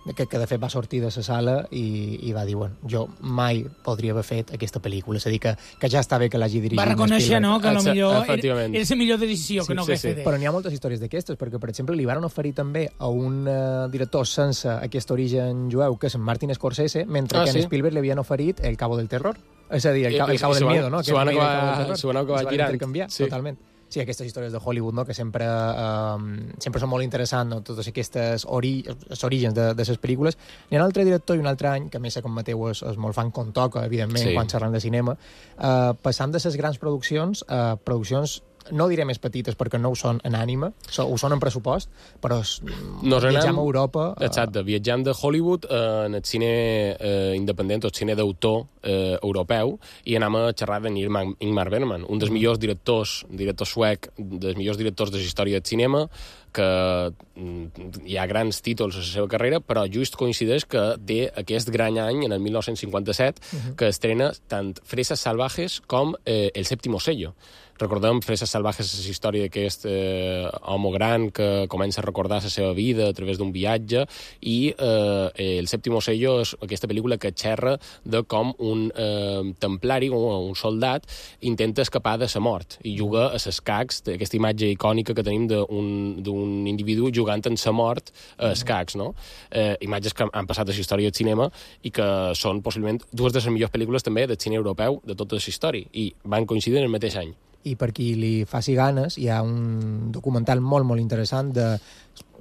que de fet va sortir de la sala i va dir, bueno, jo mai podria haver fet aquesta pel·lícula, és a dir, que ja està bé que l'hagi dirigit. Va reconèixer, no?, que potser era la millor decisió que no hagués fet. Però n'hi ha moltes històries d'aquestes, perquè, per exemple, li van oferir també a un director sense aquest origen jueu, que és en Martin Scorsese, mentre que en Spielberg li havien oferit El Cabo del Terror. És a dir, El Cabo del Miedo, no? S'ho van acabar girant. Totalment. Sí, aquestes històries de Hollywood, no?, que sempre són molt interessants, no?, totes aquestes orígens de les pel·lícules. Hi ha un altre director i un altre any, que a més, com Mateu és molt fan com toca, evidentment, quan xerran de cinema, passant de les grans produccions a produccions no diré més petites perquè no ho són en ànima, ho són en pressupost, però viatjam a Europa... Exacte, viatjam de Hollywood en el cine independent o el cine d'autor europeu i anem a xerrar de Ingmar Bergman, un dels millors director suec, dels millors directors de la història del cinema, que hi ha grans títols a la seva carrera, però just coincideix que té aquest gran any, en el 1957, que estrena tant Fresas Salvajes com El Séptimo Sello. Recordem Fresas Salvajes, és la història d'aquest home gran que comença a recordar la seva vida a través d'un viatge, i El Séptimo Sello és aquesta pel·lícula que xerra de com un templari, un soldat, intenta escapar de la mort i juga a les cacs, aquesta imatge icònica que tenim d'un individu jugant en la mort a escacs, no? Imatges que han passat a la història del cinema i que són possiblement 2 de les millors pel·lícules també del cine europeu de tota la història, i van coincidir en el mateix any. I per qui li faci ganes, hi ha un documental molt, molt interessant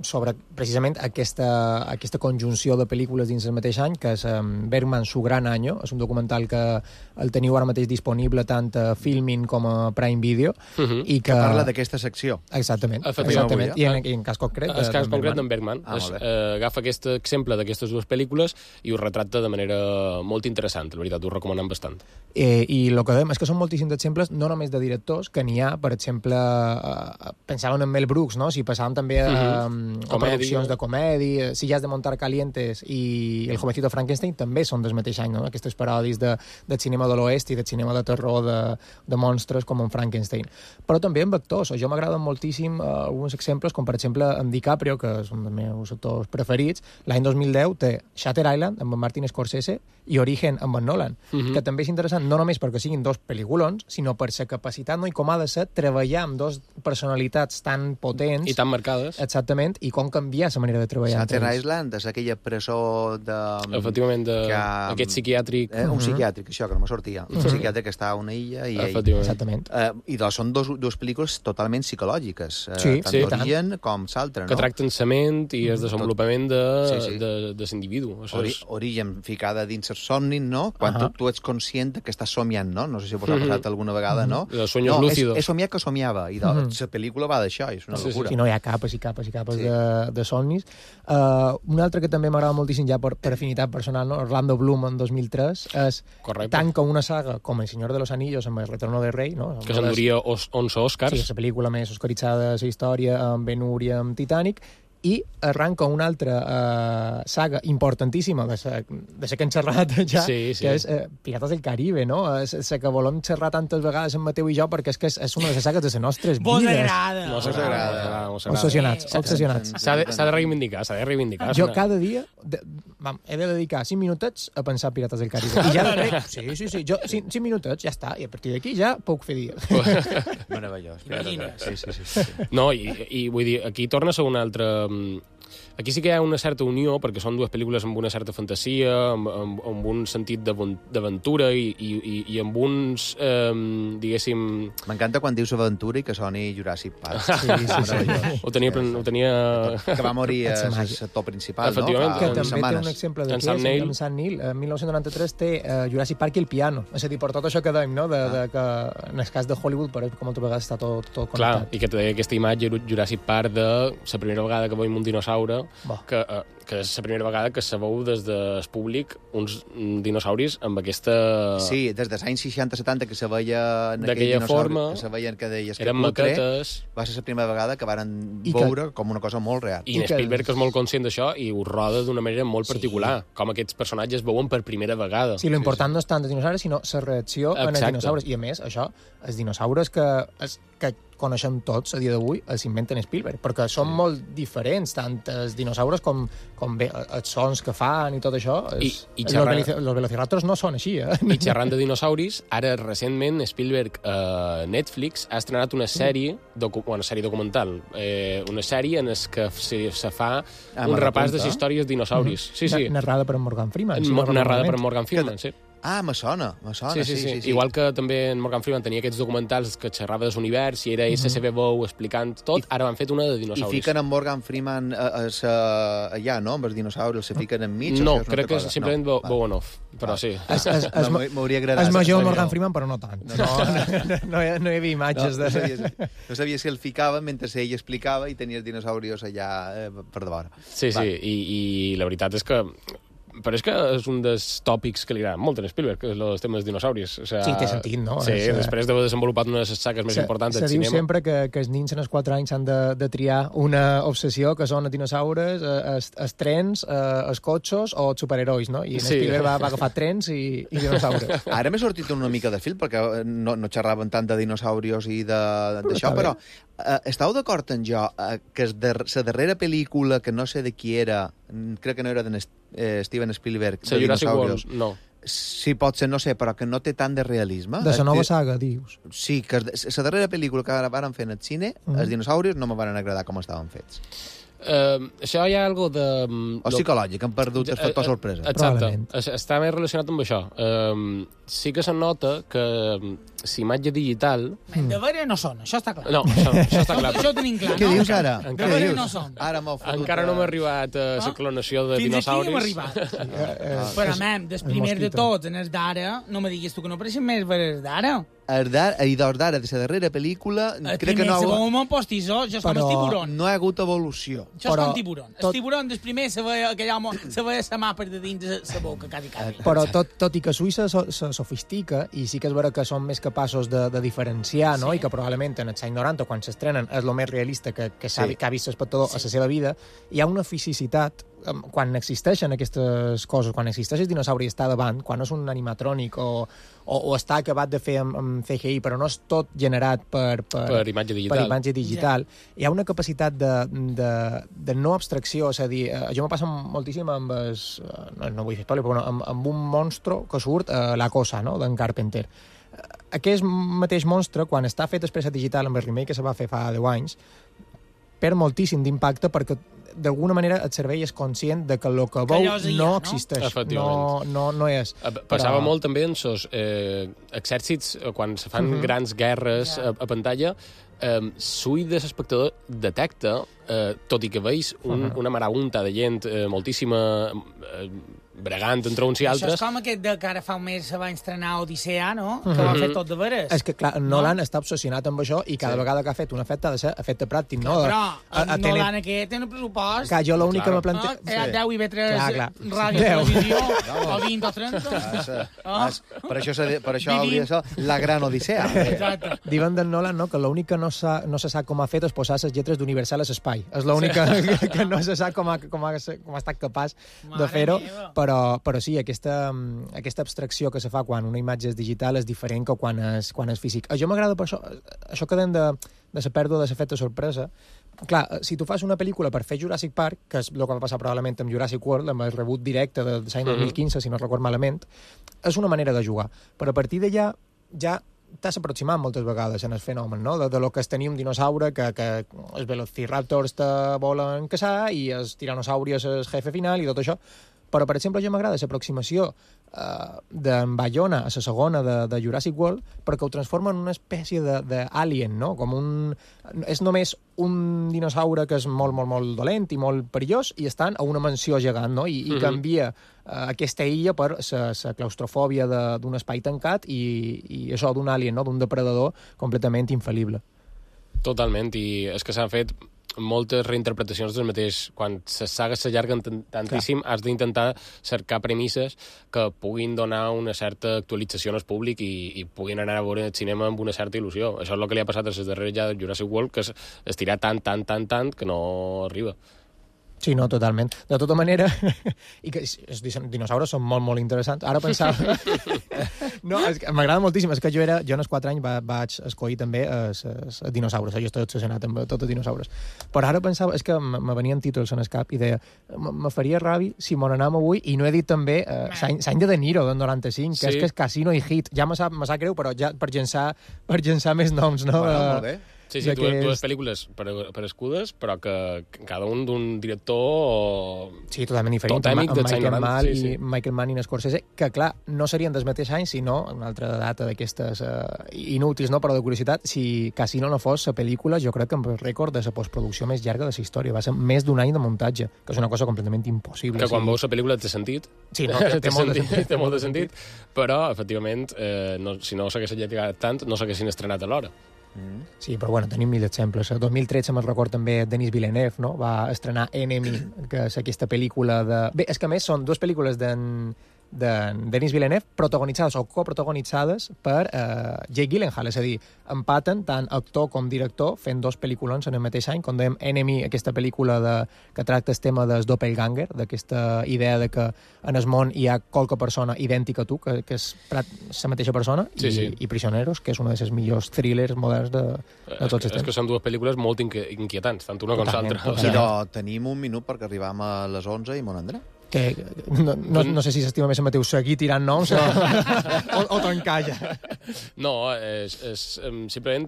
sobre precisament aquesta conjunció de pel·lícules dins el mateix any, que és Bergman, su gran año. És un documental que el teniu ara mateix disponible tant a Filmin com a Prime Video. I que parla d'aquesta secció. Exactament. I en cas concret el cas concret d'en Bergman. Agafa aquest exemple d'aquestes dues pel·lícules i ho retrata de manera molt interessant, la veritat, ho recomanem bastant. I el que dèiem és que són moltíssims exemples, no només de directors, que n'hi ha, per exemple, pensàvem en Mel Brooks, no? Si passàvem també a produccions de comèdia, Si ja has de montar calientes i El jovencito Frankenstein també són del mateix any, no? Aquestes paròdies de cinema de l'oest i de cinema de terror de monstres com en Frankenstein. Però també amb actors. Jo m'agraden moltíssim alguns exemples, com per exemple en DiCaprio, que és un dels meus actors preferits. L'any 2010 té Shutter Island amb en Martin Scorsese i Origen amb en Nolan, que també és interessant no només perquè siguin dos pel·lículons, sinó per la capacitat, no? I com ha de ser treballar amb dos personalitats tan potents i tan marcades. Exactament, i com canviar la manera de treballar. Shutter Island és aquella presó de... Efectivament, aquest psiquiàtric. Un psiquiàtric, això, que no me sortia. Un psiquiàtric que està a una illa i... Exactament. I són dues pel·lícules totalment psicològiques, tant d'Origen com l'altra, no? Que tracten la ment i el desenvolupament de l'individu. Origen ficada dins els somnis, no? Quan tu ets conscient que estàs somiant, no? No sé si vos ha passat alguna vegada, no? Els sueños lúcidos. He somiat que somiava, i la pel·lícula va d'això, és una locura. No, hi ha capes i capes i capes de somnis. Un altre que també m'agrada moltíssim ja per afinitat personal, no? Orlando Bloom en 2003 és tant com una saga com El Senyor de los Anillos amb El Retorno del Rei, no? Que s'enduria 11 Oscars. Sí, la pel·lícula més oscaritzada de la història amb Ben-Hur i amb Titanic, i arranca una altra saga importantíssima de la que hem xerrat ja, que és Pirates del Caribe, no? És la que volem xerrar tantes vegades en Mateu i jo perquè és que és una de les sagues de les nostres vides. Vos agrada. Obsessionats. S'ha de reivindicar, Jo cada dia he de dedicar 5 minutets a pensar Pirates del Caribe. I ja sí. Jo 5 minutets, ja està. I a partir d'aquí ja puc fer dia. Meravellós. Sí. No, i vull dir, aquí torna a ser una altra... Aquí sí que hi ha una certa unió, perquè són dues pel·lícules amb una certa fantasia, amb un sentit d'aventura i amb uns, diguéssim... M'encanta quan dius aventura i que soni Jurassic Park. Sí. Ho tenia... Que va morir l'actor principal, no? Que també té un exemple d'aquí, amb Sam Neill. En 1993 té Jurassic Park i el piano. És a dir, per tot això que dèiem, no? Que en el cas de Hollywood, com altres vegades està tot connectat. Clar, i que té aquesta imatge Jurassic Park de la primera vegada que veiem un dinosaure, que és la primera vegada que se veu des del públic uns dinosauris amb aquesta... Sí, des dels anys 60-70 que se veia en d'aquella forma, que se veien que deies que eren maquetes... Va ser la primera vegada que varen veure com una cosa molt real. I Spielberg és molt conscient d'això i ho roda d'una manera molt particular, com aquests personatges veuen per primera vegada. Sí, l'important no és tant els dinosaures, sinó la reacció en els dinosaures. I a més, això, els dinosaures que coneixem tots a dia d'avui els inventen Spielberg, perquè són molt diferents, tant els dinosaures com bé els sons que fan i tot això. Los velociraptors no són així, I xerrant de dinosauris, ara recentment Spielberg a Netflix ha estrenat una sèrie documental, una sèrie en què se fa un repàs de les històries dinosauris. Narrada per Morgan Freeman. Narrada per Morgan Freeman, sí. Me sona. Sí. Igual que també en Morgan Freeman tenia aquests documentals que xerrava de l'univers i era SCB Bow explicant tot, ara van fet una de dinosauris. I fiquen en Morgan Freeman allà, no? Amb els dinosaures, se fiquen enmig? No, crec que és simplement Bow and Off, però sí. M'hauria agradat. És major Morgan Freeman, però no tant. No hi havia imatges de... No sabia si el ficava mentre ell explicava i tenia els dinosaurios allà per davant. Sí, i la veritat és que però és que és un dels tòpics que li agrada molt a Spielberg, que és els temes dinosauris. O sea, sí, té sentit, no? Sí, després d'haver desenvolupat una de les sagues més importants del cinema. Se diu sempre que els nins en els 4 anys han de triar una obsessió, que són els dinosaures, els trens, els cotxos o els superherois, no? I Spielberg va agafar trens i dinosaures. Ara m'he sortit una mica de fil, perquè no xerraven tant de dinosaurios i d'això, però estàu d'acord en jo que la darrera pel·lícula, que no sé de qui era, crec que no era de Steven Spielberg, de dinosaurios. No. Sí, pot ser, no sé, però que no té tant de realisme. De la nova saga, dius. Sí, que la darrera pel·lícula que van fer en el cine, els dinosaurios no me van agradar com estaven fets. Això hi ha algo de... O psicològic, han perdut el factor sorpresa. Exacte, està més relacionat amb això. Sí que se nota que si imatge digital... De veure no són, això està clar. No, això està clar. Això ho tenim clar, Què dius ara? De veure no són. Encara no m'ha arribat a la clonació de dinosauris. Fins aquí hem arribat. Però, mem, des primers de tots, en els d'ara, no me diguis tu que no apareixen més veres d'ara. I dos d'ara, de la darrera pel·lícula... El primer, segon món postissó, això és com el tiburon. No ha hagut evolució. Això és com tiburon. El tiburon, des primer, se veia aquell home, se veia sa mà per de dins la boca, quasi. Però tot i que Suïssa se sofistica, i sí que és vera que són més capaços de diferenciar, no? I que probablement en els anys 90, quan s'estrenen, és el més realista que ha vist l'espectador a la seva vida, hi ha una fisicitat quan existeixen aquestes coses, quan existeix el dinosaure i està davant, quan és un animatrònic o està acabat de fer amb CGI, però no és tot generat per imatge digital, hi ha una capacitat de no abstracció, és a dir, jo m'ho passa moltíssim amb no vull fer spoiler, però amb un monstre que surt a La Cosa, no?, d'en Carpenter. Aquest mateix monstre, quan està fet després a digital amb el remake que se va fer fa 10 anys, perd moltíssim d'impacte perquè d'alguna manera el cervell és conscient de que el que veu no existeix. No és. Passava molt també en els exèrcits, quan se fan grans guerres a pantalla, l'ull de l'espectador detecta, tot i que veus una marabunta de gent moltíssima bregant entre uns i altres... Això és com aquest que ara fa un mes se va estrenar Odissea, no? Que ho ha fet tot de veres. És que, clar, Nolan està obsessionat amb això i cada vegada que ha fet un efecte ha de ser efecte pràctic, no? Però Nolan aquest té un pressupost... Que jo l'únic que me plantejo... 10 i B3, ràdio, televisió, o 20 o 30... Per això hauria de ser la gran Odissea. Exacte. Diuen d'en Nolan, no?, que l'únic que no se sap com ha fet és posar les lletres d'Universal a l'espai. És l'únic que no se sap com ha estat capaç de fer-ho, però sí, aquesta abstracció que se fa quan una imatge és digital és diferent que quan és físic. Jo m'agrada per això que deien de la pèrdua de l'efecte sorpresa. Clar, si tu fas una pel·lícula per fer Jurassic Park, que és el que va passar probablement amb Jurassic World, amb el rebut directe de l'any 2015, si no record malament, és una manera de jugar. Però a partir d'allà ja t'has aproximat moltes vegades en el fenomen, no? De lo que és tenir un dinosaure que els velociraptors te volen caçar i els tiranosauri és el jefe final i tot això. Però, per exemple, jo m'agrada l'aproximació d'en Bayona a la segona de Jurassic World perquè ho transforma en una espècie d'alien, no? És només un dinosaure que és molt, molt, molt dolent i molt perillós i estan a una mansió gegant, no? I canvia aquesta illa per la claustrofòbia d'un espai tancat i això d'un alien, no?, d'un depredador completament infal·lible. Totalment, i és que s'han fet moltes reinterpretacions del mateix. Quan les sagues s'allarguen tantíssim, has d'intentar cercar premisses que puguin donar una certa actualització al públic i puguin anar a veure el cinema amb una certa il·lusió. Això és el que li ha passat a les darreres ja de Jurassic World, que es tira tant que no arriba. Sí, no, totalment. De tota manera, i que els dinosaures són molt, molt interessants. Ara pensava... No, m'agrada moltíssim. És que jo en els 4 anys vaig escollir també els dinosaures. Jo estic obsessionat amb tots els dinosaures. Però ara pensava, és que me venien títols en el cap i deia, me faria ràbi si me n'anam avui, i no he dit també l'any de Niro, del 95, que és que és Casino i Hit. Ja me sap greu, però ja per llençar més noms, no? Molt bé. Sí, dues pel·lícules per escudes, però que cada un d'un director... Sí, totalment diferent. Totèmic dels anys 90. Michael Mann i Scorsese, que, clar, no serien del mateix any, sinó una altra data d'aquestes inútils, no?, però de curiositat, si Casino no fos la pel·lícula, jo crec que amb el rècord de la postproducció més llarga de la història. Va ser més d'un any de muntatge, que és una cosa completament impossible. Que quan veus la pel·lícula té sentit. Sí, no, té molt de sentit, però, efectivament, si no s'hagués allargat tant, no s'haguessin estrenat a l'hora. Sí, però bueno, tenim mil exemples. El 2013 me'n record també Denis Villeneuve, no? Va estrenar Enemy, que és aquesta pel·lícula de... Bé, és que a més són dues pel·lícules de Denis Villeneuve protagonitzades o coprotagonitzades per Jake Gyllenhaal, és a dir, empaten tant actor com director fent dos pel·lículons en el mateix any, com dèiem Enemy, aquesta pel·lícula que tracta el tema del doppelganger, d'aquesta idea de que en el món hi ha qualque persona idèntica a tu, que és la mateixa persona, i Prisioneros, que és un dels millors thrillers moderns de tots els temps. És que són dues pel·lícules molt inquietants, tant una com l'altra. Però tenim un minut perquè arribam a les 11 i mon André. No sé si s'estima més a Mateu seguir tirant noms o tancar ja. No, simplement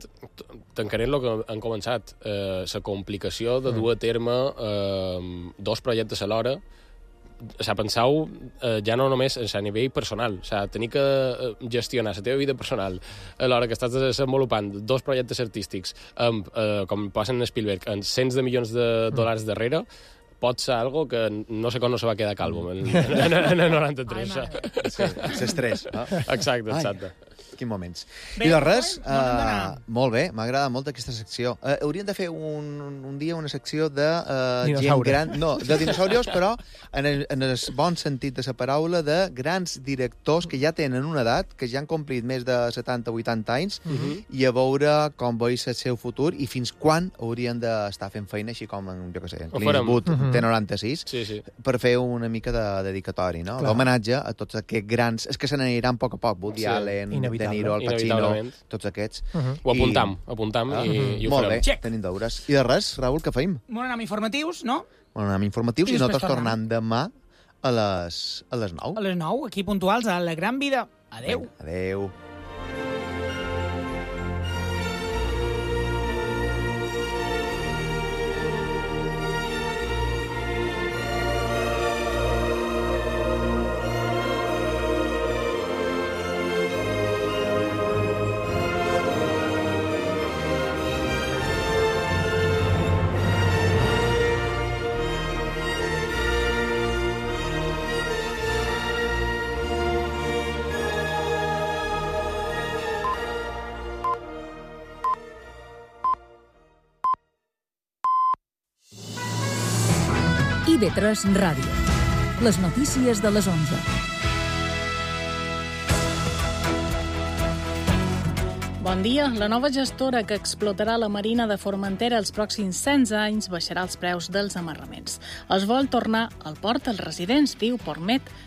tancaré el que han començat. La complicació de dur a terme 2 projectes alhora. Penseu ja no només a nivell personal, tenir que gestionar la teva vida personal a l'hora que estàs desenvolupant 2 projectes artístics amb, com passen a Spielberg, amb cents de milions de dòlars darrere, pot ser algo que no sé com no se va quedar calvo en el 93. Sí, l'estrès. Exacte. Quins moments. I de res, molt bé, m'agrada molt aquesta secció. Hauríem de fer un dia una secció de gent gran... No, de dinosaurios, però en el bon sentit de la paraula, de grans directors que ja tenen una edat, que ja han complit més de 70-80 anys, i a veure com veus el seu futur i fins quan haurien d'estar fent feina, així com, jo què sé, en Clint Eastwood té 96, per fer una mica de dedicatori, no? L'homenatge a tots aquests grans... És que se n'aniran a poc, Woody Allen, De Niro, Al Pacino, tots aquests. Ho apuntam i ho farem. Molt bé, tenim deures. I de res, Raül, què feim? Molt anem informatius, no? Molt anem informatius i nosaltres tornant demà a les 9. A les 9, aquí puntuals, a La Gran Vida. Adéu. Adéu. IB3 Ràdio. Les notícies de les 11. Bon dia. La nova gestora que explotarà la marina de Formentera els pròxims 100 anys baixarà els preus dels amarraments. Es vol tornar al port als residents, diu Portmet,